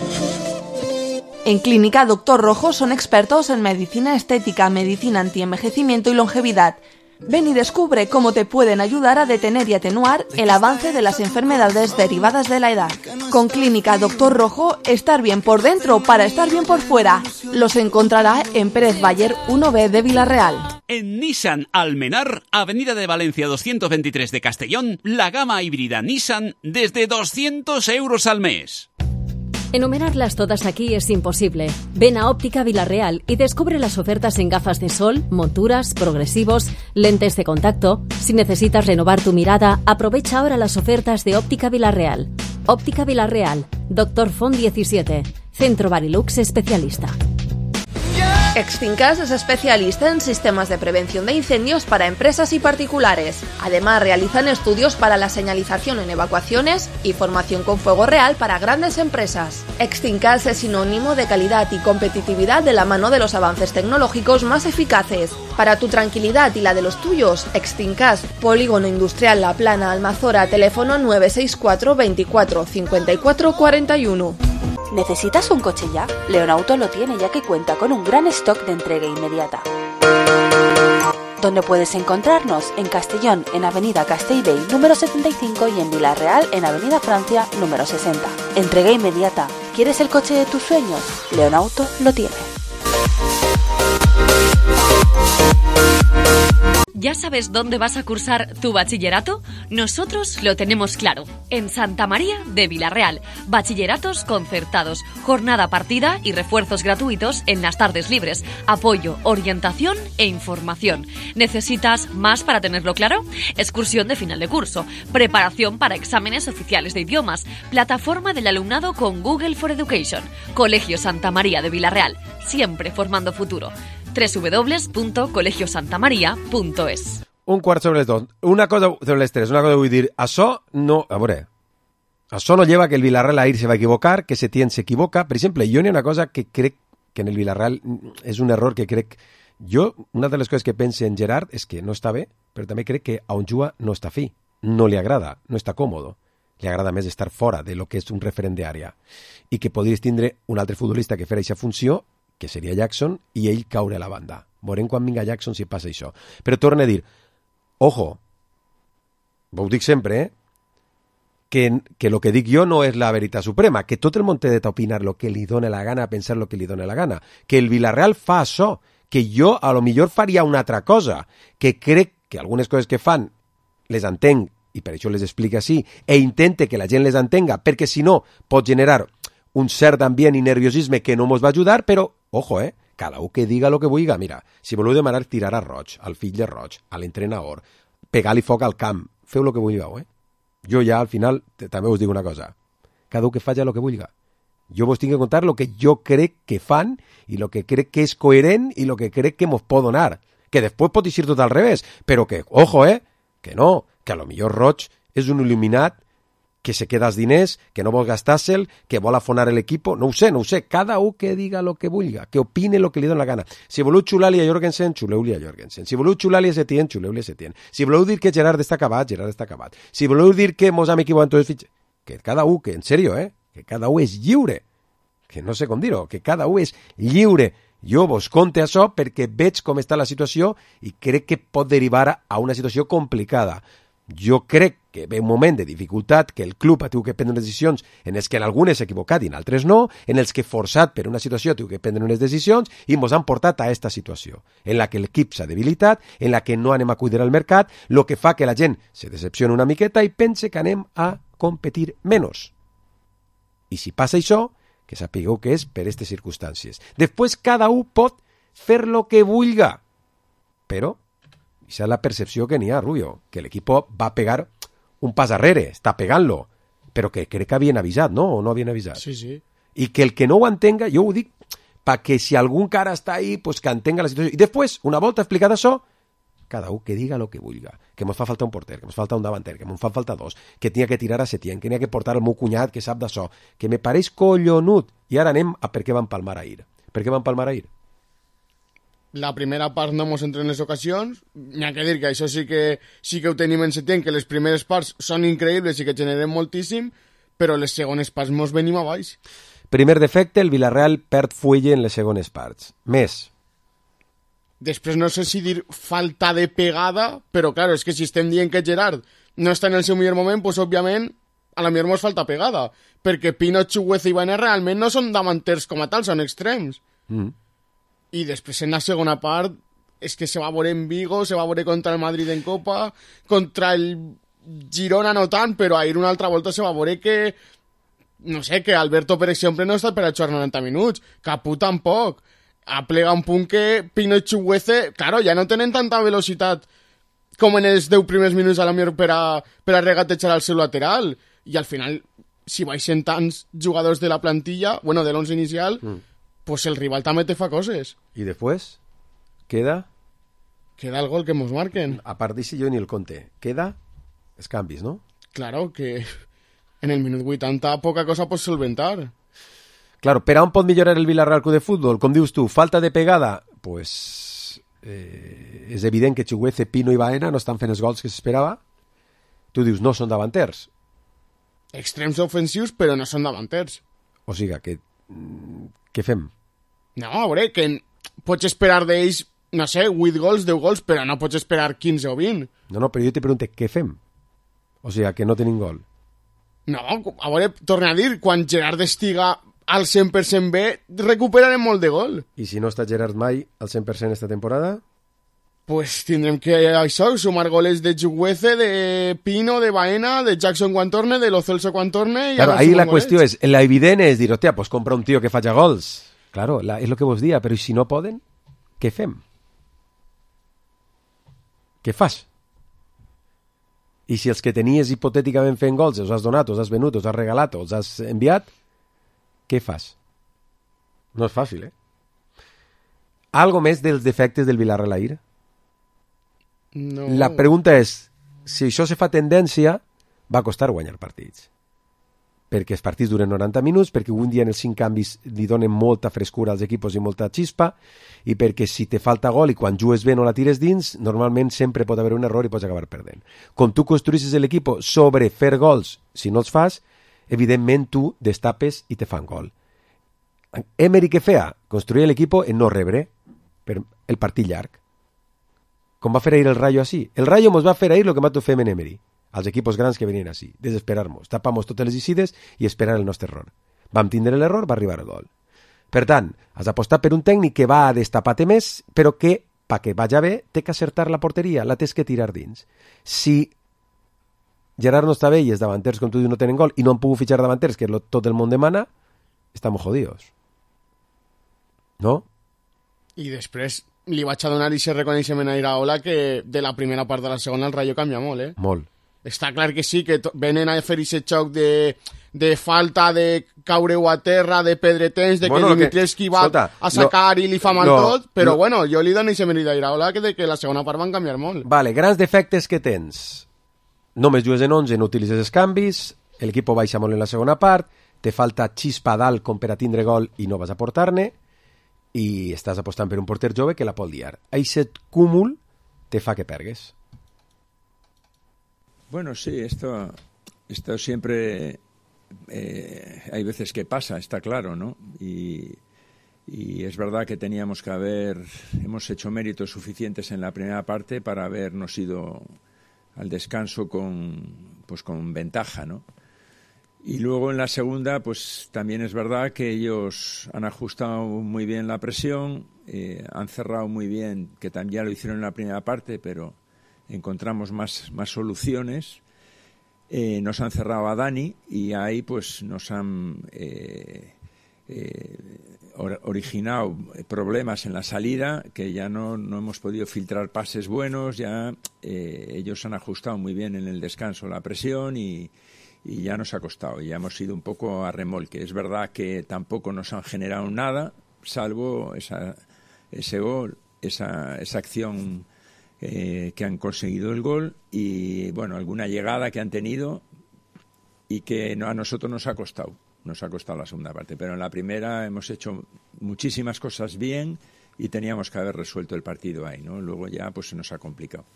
En Clínica Doctor Rojo son expertos en medicina estética, medicina antienvejecimiento y longevidad. Ven y descubre cómo te pueden ayudar a detener y atenuar el avance de las enfermedades derivadas de la edad. Con Clínica Doctor Rojo, estar bien por dentro para estar bien por fuera. Los encontrará en Pérez Bayer 1B de Villarreal. En Nissan Almenar, Avenida de Valencia 223 de Castellón, la gama híbrida Nissan desde 200 euros al mes. Enumerarlas todas aquí es imposible. Ven a Óptica Villarreal y descubre las ofertas en gafas de sol, monturas, progresivos, lentes de contacto. Si necesitas renovar tu mirada, aprovecha ahora las ofertas de Óptica Villarreal. Óptica Villarreal, Dr. Font 17, Centro Barilux especialista. Extincas es especialista en sistemas de prevención de incendios para empresas y particulares. Además, realizan estudios para la señalización en evacuaciones y formación con fuego real para grandes empresas. Extincas es sinónimo de calidad y competitividad de la mano de los avances tecnológicos más eficaces. Para tu tranquilidad y la de los tuyos, Extincas, Polígono Industrial La Plana, Almazora, teléfono 964 24 54 41. ¿Necesitas un coche ya? Leonauto lo tiene, ya que cuenta con un gran stock de entrega inmediata. ¿Dónde puedes encontrarnos? En Castellón, en Avenida Castellbell número 75 y en Villarreal, en Avenida Francia número 60. Entrega inmediata. ¿Quieres el coche de tus sueños? Leonauto lo tiene. ¿Ya sabes dónde vas a cursar tu bachillerato? Nosotros lo tenemos claro. En Santa María de Villarreal. Bachilleratos concertados, jornada partida y refuerzos gratuitos en las tardes libres. Apoyo, orientación e información. ¿Necesitas más para tenerlo claro? Excursión de final de curso, preparación para exámenes oficiales de idiomas, plataforma del alumnado con Google for Education. Colegio Santa María de Villarreal, siempre formando futuro. www.colegiosantamaria.es. Un quart sobre les 2. Una cosa sobre les 3. Una cosa vull dir. Això no... A veure... Això no lleva que el Villarreal ahir se va equivocar, que Setién s'equivoca. Per exemple, jo n'hi ha una cosa que crec que en el Villarreal és un error que crec... Jo, una de les coses que pense en Gerard és que no està bé, però també crec que a on juga no està fi. No li agrada, no està còmodo. Li agrada més estar fora de lo que és un referent d'àrea. I que podries tindre un altre futbolista que farà aquesta funció, que seria Jackson, i ell caure a la banda. Veurem quan vinga Jackson si passa això. Però torna a dir, ojo, ho dic sempre, que lo que dic jo no és la veritat suprema, que tot el món té de opinar lo que li dona la gana, pensar lo que li dona la gana, que el Villarreal fa això, que jo a lo millor faria una altra cosa, que crec que algunes coses que fan les entenc, i per això les explica així, e intente que la gent les entenga, perquè si no pot generar un cert ambient i nerviosisme que no mos va ajudar, però, ojo, cada un que diga lo que vulga. Mira, si voleu demanar tirar a Roig, al fill de Roig, a l'entrenador, pegar-li foc al camp, feu lo que vulgueu, Jo ja, al final, també us dic una cosa. Cada un que faci lo que vulga. Jo vos tinc que contar lo que jo crec que fan i lo que crec que és coherent i lo que crec que mos pot donar. Que després pot eixir tot al revés, però que, ojo, que no, que a lo millor Roig és un il·luminat que se queda els diners, que no vol gastar-se'l, que vol afonar l'equip, no ho sé, cada un que diga lo que vulga, que opine lo que li dona la gana. Si voleu xular-li a Jorgensen, xuleu-li a Jorgensen. Si voleu xular-li a Setién, xuleu-li a Setién. Si voleu dir que Gerard està acabat, Gerard està acabat. Si voleu dir que mos hem equivocat en tots els fitxers, que cada un, que en sèrio, que cada un és lliure, que no sé com dir-ho, que cada un és lliure. Jo vos conte això perquè veig com està la situació i crec que pot derivar a una situació complicada. Jo crec que ve un moment de dificultat, que el club ha tingut que prendre decisions en els que en algunes s'ha equivocat i en altres no, en els que forçat per una situació ha tingut que prendre unes decisions i ens han portat a aquesta situació, en la que l'equip s'ha debilitat, en la que no anem a cuidar el mercat, el que fa que la gent se decepciona una miqueta i pense que anem a competir menys. I si passa això, que sapigueu que és per aquestes circumstàncies. Després cada un pot fer lo que vulga, però esa és la percepció que n'hi ha, Rubio, que l'equip va pegar un pas arrere, està pegant-lo, però que crec que havien avisat, no? O no havien avisat? Sí, sí. I que el que no ho entenga, jo ho dic, perquè si algun cara està ahí, pues que entenga la situació. I després, una volta explicat això, cada un que diga lo que vulga, que mos fa falta un porter, que mos falta un davanter, que mos fa falta dos, que tenia que tirar a Setién, que tenia que portar el meu cunyat que sap d'això, que me pareix collonut. I ara anem a per què van palmar ahir. Per què van palmar ahir? La primera part no mos entra en les ocasions, n'hi ha que dir que això sí que ho tenim en Setién, que les primeres parts són increïbles i que generen moltíssim, però les segones parts mos venim a baix. Primer defecte, el Villarreal perd fuelle en les segones parts. Més. Després no sé si dir falta de pegada, però claro, és que si estem dient que Gerard no està en el seu millor moment, pues òbviament a la millor mos falta pegada, perquè Pino, Chugueza i Baena realment no són davanters com a tal, són extrems. I després en la segona part és que se va veure en Vigo, se va veure contra el Madrid en Copa, contra el Girona no tant, però ahir una altra volta se va veure que no sé, que Alberto, per exemple, no està per a jugar 90 minuts, Capú tampoc. Aplega un punt que Pino i Chugueza, claro, ja no tenen tanta velocitat com en els 10 primers minuts a la millor per a regatejar al seu lateral. I al final, si baixen tants jugadors de la plantilla, bueno, de l'11 inicial, pues el rival també te fa coses. I després? Queda el gol que mos marquen. A part d'així jo ni el conté. Queda els canvis, no? Claro, que en el minut 80 poca cosa pots solventar. Claro, per on pot millorar el Villarreal Club de Futbol? Com dius tu, falta de pegada? Pues és evident que Chugueza, Pino i Baena no estan fent els gols que s'esperava. Tu dius, no són davanters. Extrems ofensius, però no són davanters. O sigui, què fem? No, a veure, que pots esperar d'ells, no sé, 8 gols, 10 gols, però no pots esperar 15 o 20. No, però jo te pregunto, què fem? O sigui, que no tenim gol. No, a veure, torna a dir, quan Gerard estiga al 100% bé, recuperarem molt de gol. I si no està Gerard mai al 100% esta temporada? Pues tindrem que, això, sumar goles de Chugueza, de Pino, de Baena, de Jackson quan torne, de Lo Celso quan torne... Claro, ahí la qüestió és, la evident és dir, hòstia, pues compra un tio que faci gols. Claro, és el que vos dia, però si no poden, què fem? Què fas? I si els que tenies hipotèticament fent gols els has donat, els has venut, els has regalat, els has enviat, què fas? No és fàcil, Algo més dels defectes del Villarreal ahir? No. La pregunta és, si això se fa tendència, va costar guanyar partits. Perquè els partits duren 90 minuts, perquè un dia en els 5 canvis li donen molta frescura als equipos i molta xispa, i perquè si te falta gol i quan jugues bé no la tires dins, normalment sempre pot haver un error i pots acabar perdent. Com tu construïssis l'equip sobre fer gols, si no els fas, evidentment tu destapes i te fan gol. Emery què feia? Construïa l'equip en no rebre per el partit llarg. Com va fer ahir el Rayo així. El Rayo mos va fer ahir el que nosaltres fem en Emery, als equipos grans que venien així, desesperar-nos, tapar-nos totes les icides i esperar el nostre error. Vam tindre l'error, va arribar el gol. Per tant, has apostat per un tècnic que va a destapar-te més, però que, perquè vaja bé, té que acertar la porteria, la tens que tirar dins. Si Gerard no està bé i els davanters, com tu dius, no tenen gol i no han pogut fitxar davanters, que tot el món demana, estem jodidos. No? I després li vaig a donar aquest reconeixement a Iraola que de la primera part de la segona el Rayo canvia molt, Molt. Està clar que sí, que venen a fer aquest xoc de falta, de caure-ho a terra, de pedretens, de bueno, que Dimitrievski va a sacar i li fa mal tot, però bueno, jo li dono aquest mèrit a Iraola que la segona part van canviar molt. Vale, grans defectes que tens. Només jugues en 11, no utilitzes els canvis, l'equip baixa molt en la segona part, te falta xispa dalt com per a tindre gol i no vas a portar-ne, i estàs apostant per un porter jove que la pot liar. Aquest cúmul te fa que pergues. Bueno, sí, esto siempre hay veces que pasa, está claro, ¿no? Y es verdad que hemos hecho méritos suficientes en la primera parte para habernos ido al descanso con ventaja, ¿no? Y luego en la segunda, pues también es verdad que ellos han ajustado muy bien la presión, han cerrado muy bien, que también ya lo hicieron en la primera parte, pero encontramos más soluciones. Nos han cerrado a Dani y ahí pues nos han originado problemas en la salida, que ya no hemos podido filtrar pases buenos, ya ellos han ajustado muy bien en el descanso la presión y ya nos ha costado, ya hemos ido un poco a remolque. Es verdad que tampoco nos han generado nada, salvo ese gol, esa acción que han conseguido el gol y, bueno, alguna llegada que han tenido y que a nosotros nos ha costado la segunda parte, pero en la primera hemos hecho muchísimas cosas bien y teníamos que haber resuelto el partido ahí, ¿no? Luego ya pues se nos ha complicado.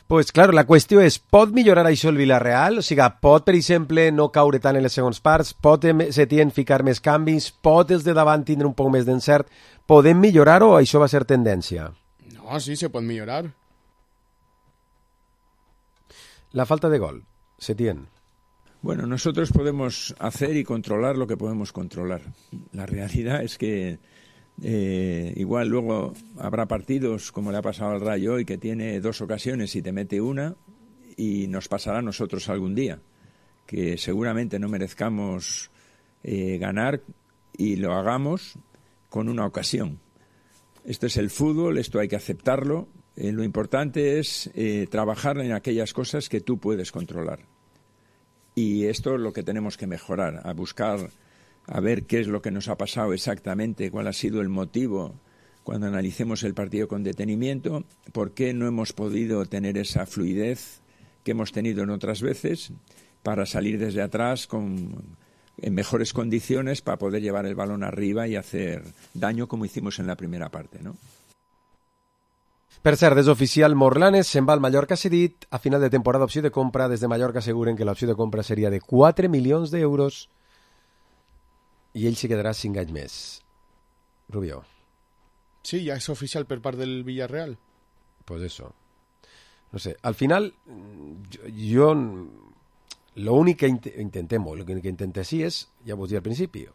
Pues claro, la qüestió és, pot millorar això el Villarreal? O sigui, pot, per exemple, no caure tant en les segons parts? Pot Setién ficar més canvis? Pot els de davant tindre un poc més d'encert? Podem millorar o això va ser tendència? No, sí, se pot millorar. La falta de gol, Setién. Bueno, nosotros podemos hacer y controlar lo que podemos controlar. La realidad es que igual luego habrá partidos como le ha pasado al Rayo hoy, que tiene 2 ocasiones y te mete una, y nos pasará a nosotros algún día, que seguramente no merezcamos ganar y lo hagamos con una ocasión. Esto es el fútbol, esto hay que aceptarlo. Lo importante es trabajar en aquellas cosas que tú puedes controlar. Y esto es lo que tenemos que mejorar, a buscar, a ver qué es lo que nos ha pasado exactamente, cuál ha sido el motivo cuando analicemos el partido con detenimiento, por qué no hemos podido tener esa fluidez que hemos tenido en otras veces para salir desde atrás en mejores condiciones para poder llevar el balón arriba y hacer daño como hicimos en la primera parte, ¿no? Per cert, és oficial, Morlanes se'n va al Mallorca cedit. A final de temporada, opció de compra. Des de Mallorca asseguren que l'opció de compra seria de 4 milions d'euros i ell se quedarà 5 anys més. Rubio. Sí, ja és oficial per part del Villarreal. Pues eso. No sé, al final, jo lo únic que intentem, lo que intentem sí és, ja vos dir al principi,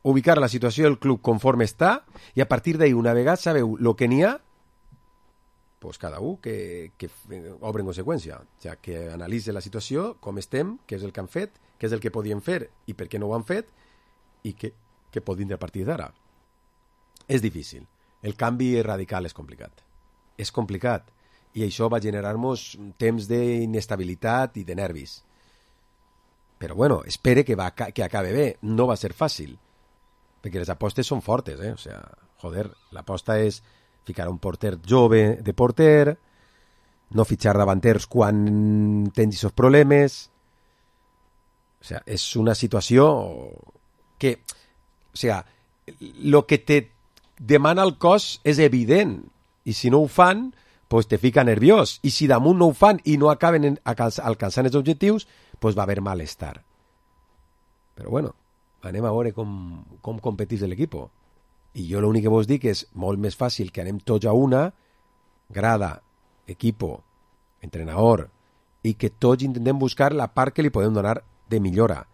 ubicar la situació del club conforme està i a partir d'ahí, una vegada sabeu lo que n'hi ha, pues cada un que obre en conseqüència, o sigui, que analitzi la situació, com estem, què és el que han fet, què és el que podien fer i per què no ho han fet i què pot vindre a partir d'ara. És difícil. El canvi radical és complicat. És complicat i això va generar-nos temps d'inestabilitat i de nervis. Però bueno, espere que acabe bé. No va ser fàcil, perquè les apostes són fortes, O sigui, joder, l'aposta és ficar un porter jove de porter, no fitxar davanters quan tens aquests problemes. O sigui, és una situació que, o sigui, el que te demana el cos és evident, i si no ho fan, pues te fica nerviós, i si damunt no ho fan i no acaben alcançant els objectius, pues va haver malestar. Però bueno, anem a veure com competís l'equip. I jo l'únic que vos dic és molt més fàcil que anem tots a una, grada, equipo, entrenador, i que tots intentem buscar la part que li podem donar de millora.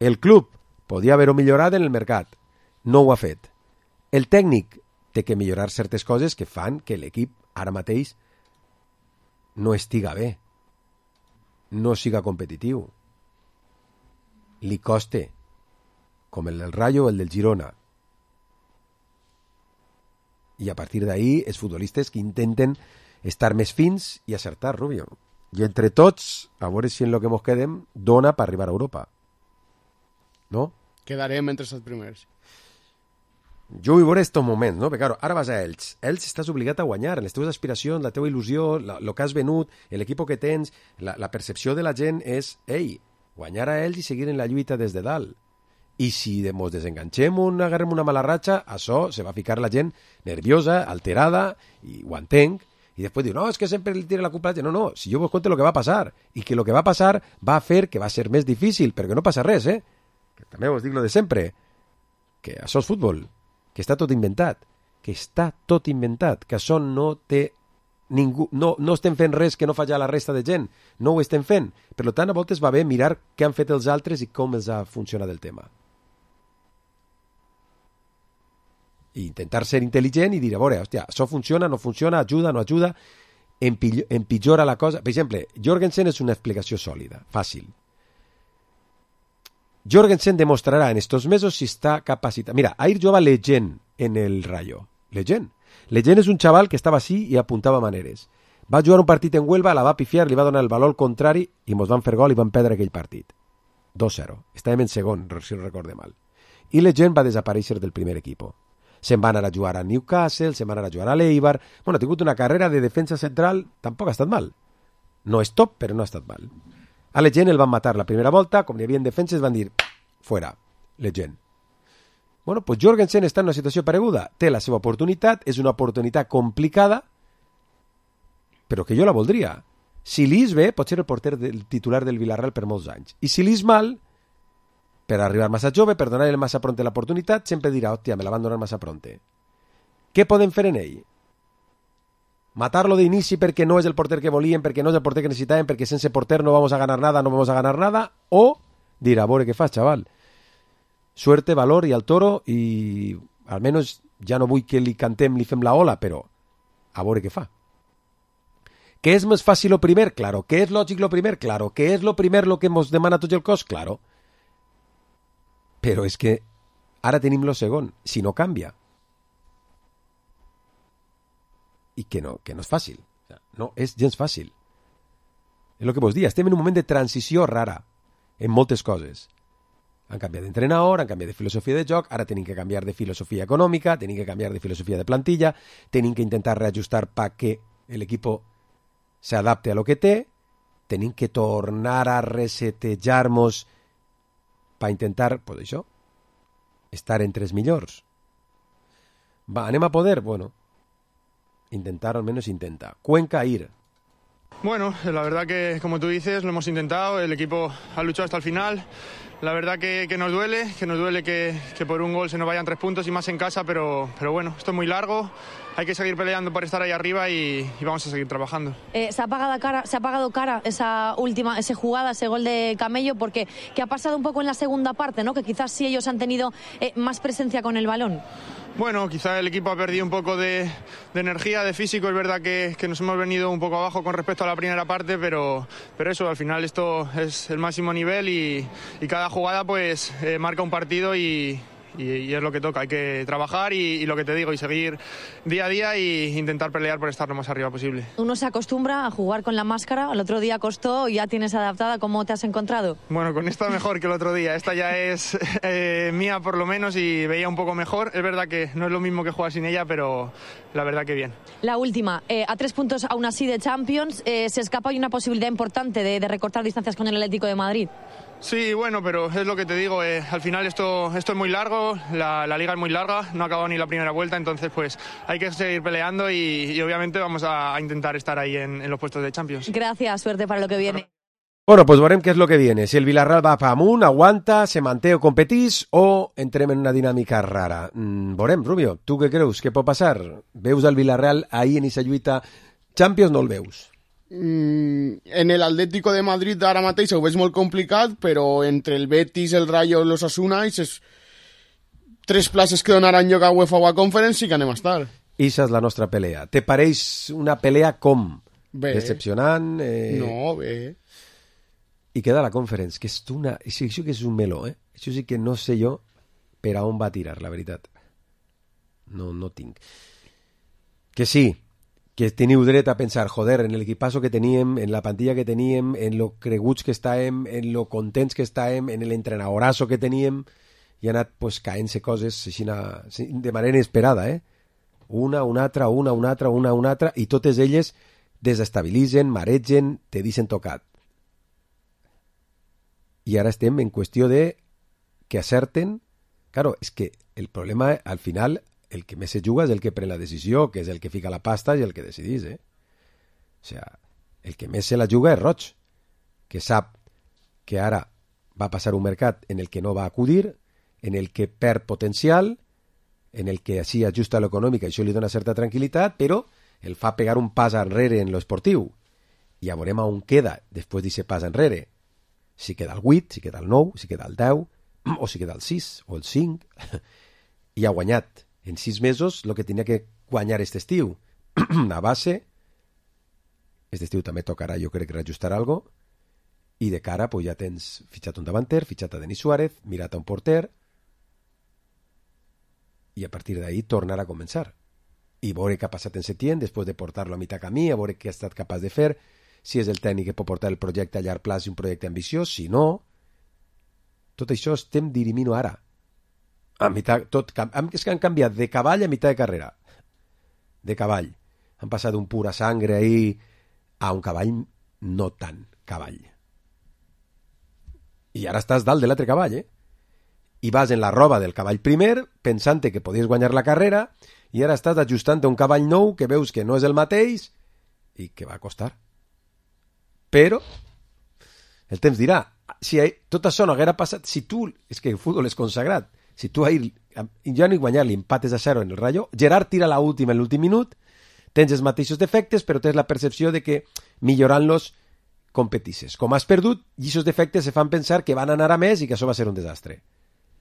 El club podia haver-ho millorat en el mercat, no ho ha fet. El tècnic té que millorar certes coses que fan que l'equip ara mateix no estiga bé, no siga competitiu. Li coste, com el del Rayo o el del Girona. I a partir d'ahí, els futbolistes que intenten estar més fins i acertar, Rubio. I entre tots, a veure si en lo que mos quedem dona per arribar a Europa. No? Quedarem entre els primers. Jo vull veure estos moments, no? Perquè, claro, ara vas a Elx. Elx estàs obligat a guanyar, en les teves aspiracions, la teva il·lusió, el que has venut, l'equip que tens, la percepció de la gent és, ei, guanyar a Elx i seguir en la lluita des de dalt. I si ens desenganxem agarrem una mala ratxa, això se va ficar la gent nerviosa, alterada, i ho entenc, i després diu, no, és que sempre li tira la culpa a la gent. No, si jo vos conto el que va passar, i que el que va passar va fer que va ser més difícil, perquè no passa res, que també vos dic lo de sempre, que això és futbol, que està tot inventat, que això no té ningú, no estem fent res que no fa ja la resta de gent, no ho estem fent, per tant a voltes va bé mirar què han fet els altres i com els ha funcionat el tema. I intentar ser intel·ligent i dir, a veure, hòstia, això funciona, no funciona, ajuda, no ajuda, empitjora la cosa. Per exemple, Jorgensen és una explicació sòlida, fàcil. Jorgensen demostrarà en estos mesos si està capacitat. Mira, ahir jugava Legend en el Rayo. Legend és un xaval que estava així i apuntava maneres. Va jugar un partit en Huelva, la va pifiar, li va donar el valor contrari i mos van fer gol i van perdre aquell partit. 2-0. Estàvem en segon, si no recorde mal. I Legend va desaparèixer del primer equip. se'n va anar a jugar a Newcastle, se'n va anar a jugar a l'Eibar. Bueno, ha tingut una carrera de defensa central, tampoc ha estat mal. No és top, però no ha estat mal. A Legend el van matar la primera volta, com hi havia defenses van dir, fuera, Legend. Bueno, pues Jorgensen està en una situació pareguda, té la seva oportunitat, és una oportunitat complicada, però que jo la voldria. Si li és bé, pot ser el porter titular del Villarreal per molts anys. I si li és mal, per arribar massa jove, per donar-li massa pronte l'oportunitat, sempre dirà, hòstia, me la van donar massa pronte. Què podem fer en ell? Matar-lo d'inici perquè no és el porter que volíem, perquè no és el porter que necessitàvem, perquè sense porter no vamos a ganar nada, o dir, a veure què fas, xaval. Suerte, valor i al toro, i almenys ja no vull que li cantem, li fem la ola, però a veure què fa. ¿Qué es más fácil lo primer? Claro. ¿Qué es lógico lo primer? Claro. ¿Qué es lo primer lo que nos demana tot el cos? Claro. Però és que ara tenim lo segon, si no canvia. I que no és fàcil. No és gens fàcil. És el que vos dia, estem en un moment de transició rara en moltes coses. Han canviat d'entrenador, han canviat de filosofia de joc, ara tenim que canviar de filosofia econòmica, tenim que canviar de filosofia de plantilla, tenim que intentar reajustar para que el equipo se adapte a lo que té, tenim que tornar a resetejar-nos per intentar, pues això, estar entre els millors. Va, anem a poder? Bueno, intentar, al menos intenta. Cuenca, ir. Bueno, la verdad que, como tú dices, lo hemos intentado, el equipo ha luchado hasta el final. La verdad que nos duele que por un gol se nos vayan 3 puntos y más en casa, pero bueno, esto es muy largo, hay que seguir peleando por estar ahí arriba y vamos a seguir trabajando. Se ha apagado cara esa jugada, ese gol de Camello, porque ¿qué ha pasado un poco en la segunda parte, ¿no? Que quizás sí ellos han tenido más presencia con el balón. Bueno, quizá el equipo ha perdido un poco de energía, de físico. Es verdad que nos hemos venido un poco abajo con respecto a la primera parte, pero eso, al final esto es el máximo nivel y cada jugada pues marca un partido y es lo que toca. Hay que trabajar y lo que te digo, y seguir día a día e intentar pelear por estar lo más arriba posible. Uno se acostumbra a jugar con la máscara, el otro día costó y ya tienes adaptada. ¿Cómo te has encontrado? Bueno, con esta mejor que el otro día. Esta ya es mía por lo menos y veía un poco mejor. Es verdad que no es lo mismo que jugar sin ella, pero la verdad que bien. La última, a 3 puntos aún así de Champions, se escapa y una posibilidad importante de recortar distancias con el Atlético de Madrid. Sí, bueno, pero es lo que te digo, al final esto es muy largo, la liga es muy larga, no ha acabado ni la primera vuelta, entonces pues hay que seguir peleando y obviamente vamos a intentar estar ahí en los puestos de Champions. Gracias, suerte para lo que viene. Bueno, pues veurem què és el que viene. Si el Villarreal va pa amunt, aguanta, se manté o competís, o entrem en una dinàmica rara. Veurem, Rubio, tu què creus? Què pot passar? Veus el Villarreal ahí en aquesta lluita Champions, no el veus? En el Atlético de Madrid ara mateix ho veig molt complicat, però entre el Betis, el Rayo i l'Osasuna, aquestes 3 places que donaran lloc a UEFA o a Conference sí que anem a estar. Issa és la nostra pelea. Te pareix una pelea com? Bé. Decepcionant? No, bé. I queda la Conference, que és una... Això que és un meló, eh? Això sí que no sé jo per a on va tirar, la veritat. No tinc. Que sí, que teniu dret a pensar, joder, en l'equipasso que teníem, en la plantilla que teníem, en lo creguts que estàvem, en lo contents que estàvem, en l'entrenadorasso que teníem, i ha anat pues, caent-se coses així de manera inesperada, eh? Una altra, i totes elles desestabilitzen, maregen, te deixen tocat. I ara estem en qüestió de que acerten. Claro, és que el problema, al final, el que més se juga és el que pren la decisió, que és el que fica la pasta i el que decidís, eh? O sea, el que més se la juga és Roig, que sap que ara va passar un mercat en el que no va acudir, en el que perd potencial, en el que així ajusta l'econòmica i això li dona certa tranquil·litat, però el fa pegar un pas enrere en l'esportiu. I ja veurem on queda després d'aquest pas enrere. Si queda el 8, si queda el 9, si queda el 10, o si queda el 6 o el 5, i ha guanyat en 6 mesos el que tenia que guanyar aquest estiu. A base, aquest estiu també tocarà, jo crec, reajustar algo, i de cara pues, ja tens fitxat un davanter, fitxat a Denis Suárez, mirat a un porter, i a partir d'ahí tornar a començar. I veure què ha passat en Setién, després de portar-lo a mitjà camí, a veure què ha estat capaç de fer, si és el tècnic que pot portar el projecte a llarg plaç i un projecte ambiciós, si no... Tot això estem dirimint ara. És que han canviat de cavall a mitjà de carrera. De cavall. Han passat d'un pura sangre ahí a un cavall no tan cavall. I ara estàs dalt de l'altre cavall, I vas en la roba del cavall primer, pensant que podies guanyar la carrera, i ara estàs ajustant un cavall nou que veus que no és el mateix i que va costar. Però el temps dirà, si tot això no haguera passat, si tu, és que el futbol és consagrat, si tu ahir, ja no hi guanyar l'empates a 0 en el Rayo, Gerard tira la última en l'últim minut, tens els mateixos defectes, però tens la percepció de que millorant-los competisses. Com has perdut, i aquests defectes se fan pensar que van anar a més i que això va ser un desastre.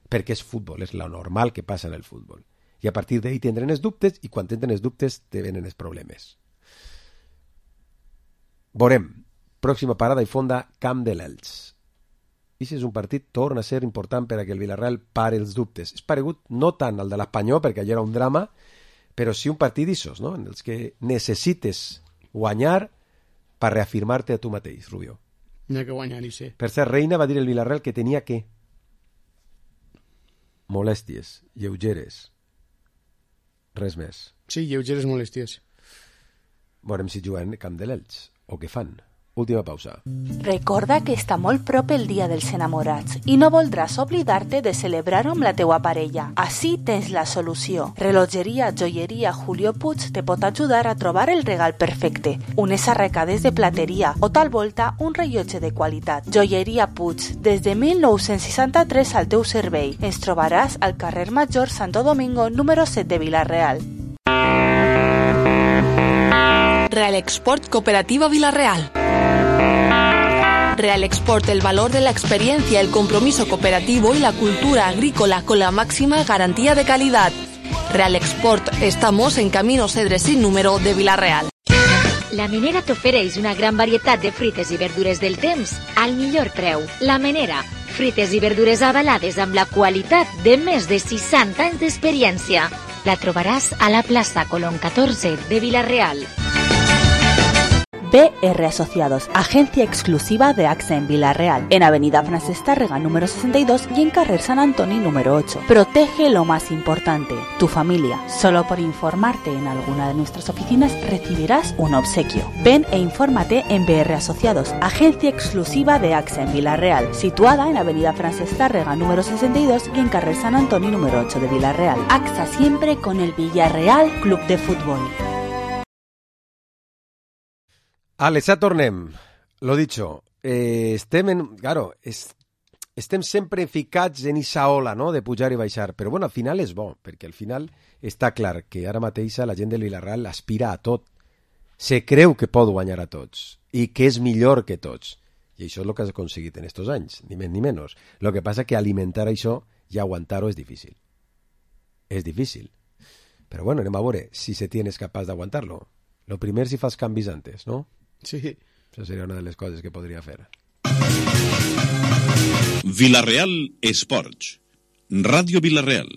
Perquè és futbol, és lo normal que passa en el futbol. I a partir d'ahí tindran els dubtes, i quan tenen els dubtes te venen els problemes. Veurem. Pròxima parada i fonda, Camp de l'Elx. I si és un partit, torna a ser important per a que el Villarreal pare els dubtes. És paregut no tant al de l'Espanyol, perquè allò era un drama, però sí un partit d'issos, no? En els que necessites guanyar per reafirmar-te a tu mateix, Rubio. No hi ha que guanyar, i sí. Per ser Reina va dir el Villarreal que tenia que molèsties, lleugeres, res més. Sí, lleugeres molèsties. Veurem si juguen Camp de l'Elx o què fan. Última pausa. Recorda que està molt prop el Dia dels Enamorats i no voldràs oblidar-te de celebrar-ho amb la teua parella. Així tens la solució. Relogeria Joieria Julio Puig te pot ajudar a trobar el regal perfecte. Unes arracades de plateria o tal volta un rellotge de qualitat. Joieria Puig, des de 1963 al teu servei. Ens trobaràs al carrer Major Santo Domingo número 7 de Vila-real. Real Export Cooperativa Vila-real. Real Export, el valor de la experiencia, el compromiso cooperativo y la cultura agrícola con la máxima garantía de calidad. Real Export, estamos en Camino Cedres sin número de Vila-real. La Menera t'ofereix una gran varietat de fruites i verdures del temps al millor preu. La Menera, fruites i verdures avalades amb la qualitat de més de 60 anys d'experiència. La trobaràs a la plaça Colón 14 de Vila-real. BR Asociados, agencia exclusiva de AXA en Vila-real, en Avenida Francesc Tàrrega número 62 y en Carrer San Antoni número 8. Protege lo más importante, tu familia. Solo por informarte en alguna de nuestras oficinas recibirás un obsequio. Ven e infórmate en BR Asociados, agencia exclusiva de AXA en Vila-real, situada en Avenida Francesc Tàrrega número 62 y en Carrer San Antoni número 8 de Vila-real. AXA siempre con el Villarreal Club de Fútbol. Alex, ja tornem. Lo dicho, estem sempre ficats en esa ola, no?, de pujar i baixar, però bueno, al final és bo, perquè al final està clar que ara mateix la gent del Villarreal aspira a tot, se creu que pot guanyar a tots i que és millor que tots, i això és el que has aconseguit en estos anys, ni més ni menys. Lo que passa que alimentar això i aguantar-ho és difícil. És difícil. Però bueno, anem a veure si se tienes capaç d'aguantar-lo. Lo primer si fas canvis antes, no? Sí. Això seria una de les coses que podria fer. Vila-real Esports. Ràdio Vila-real.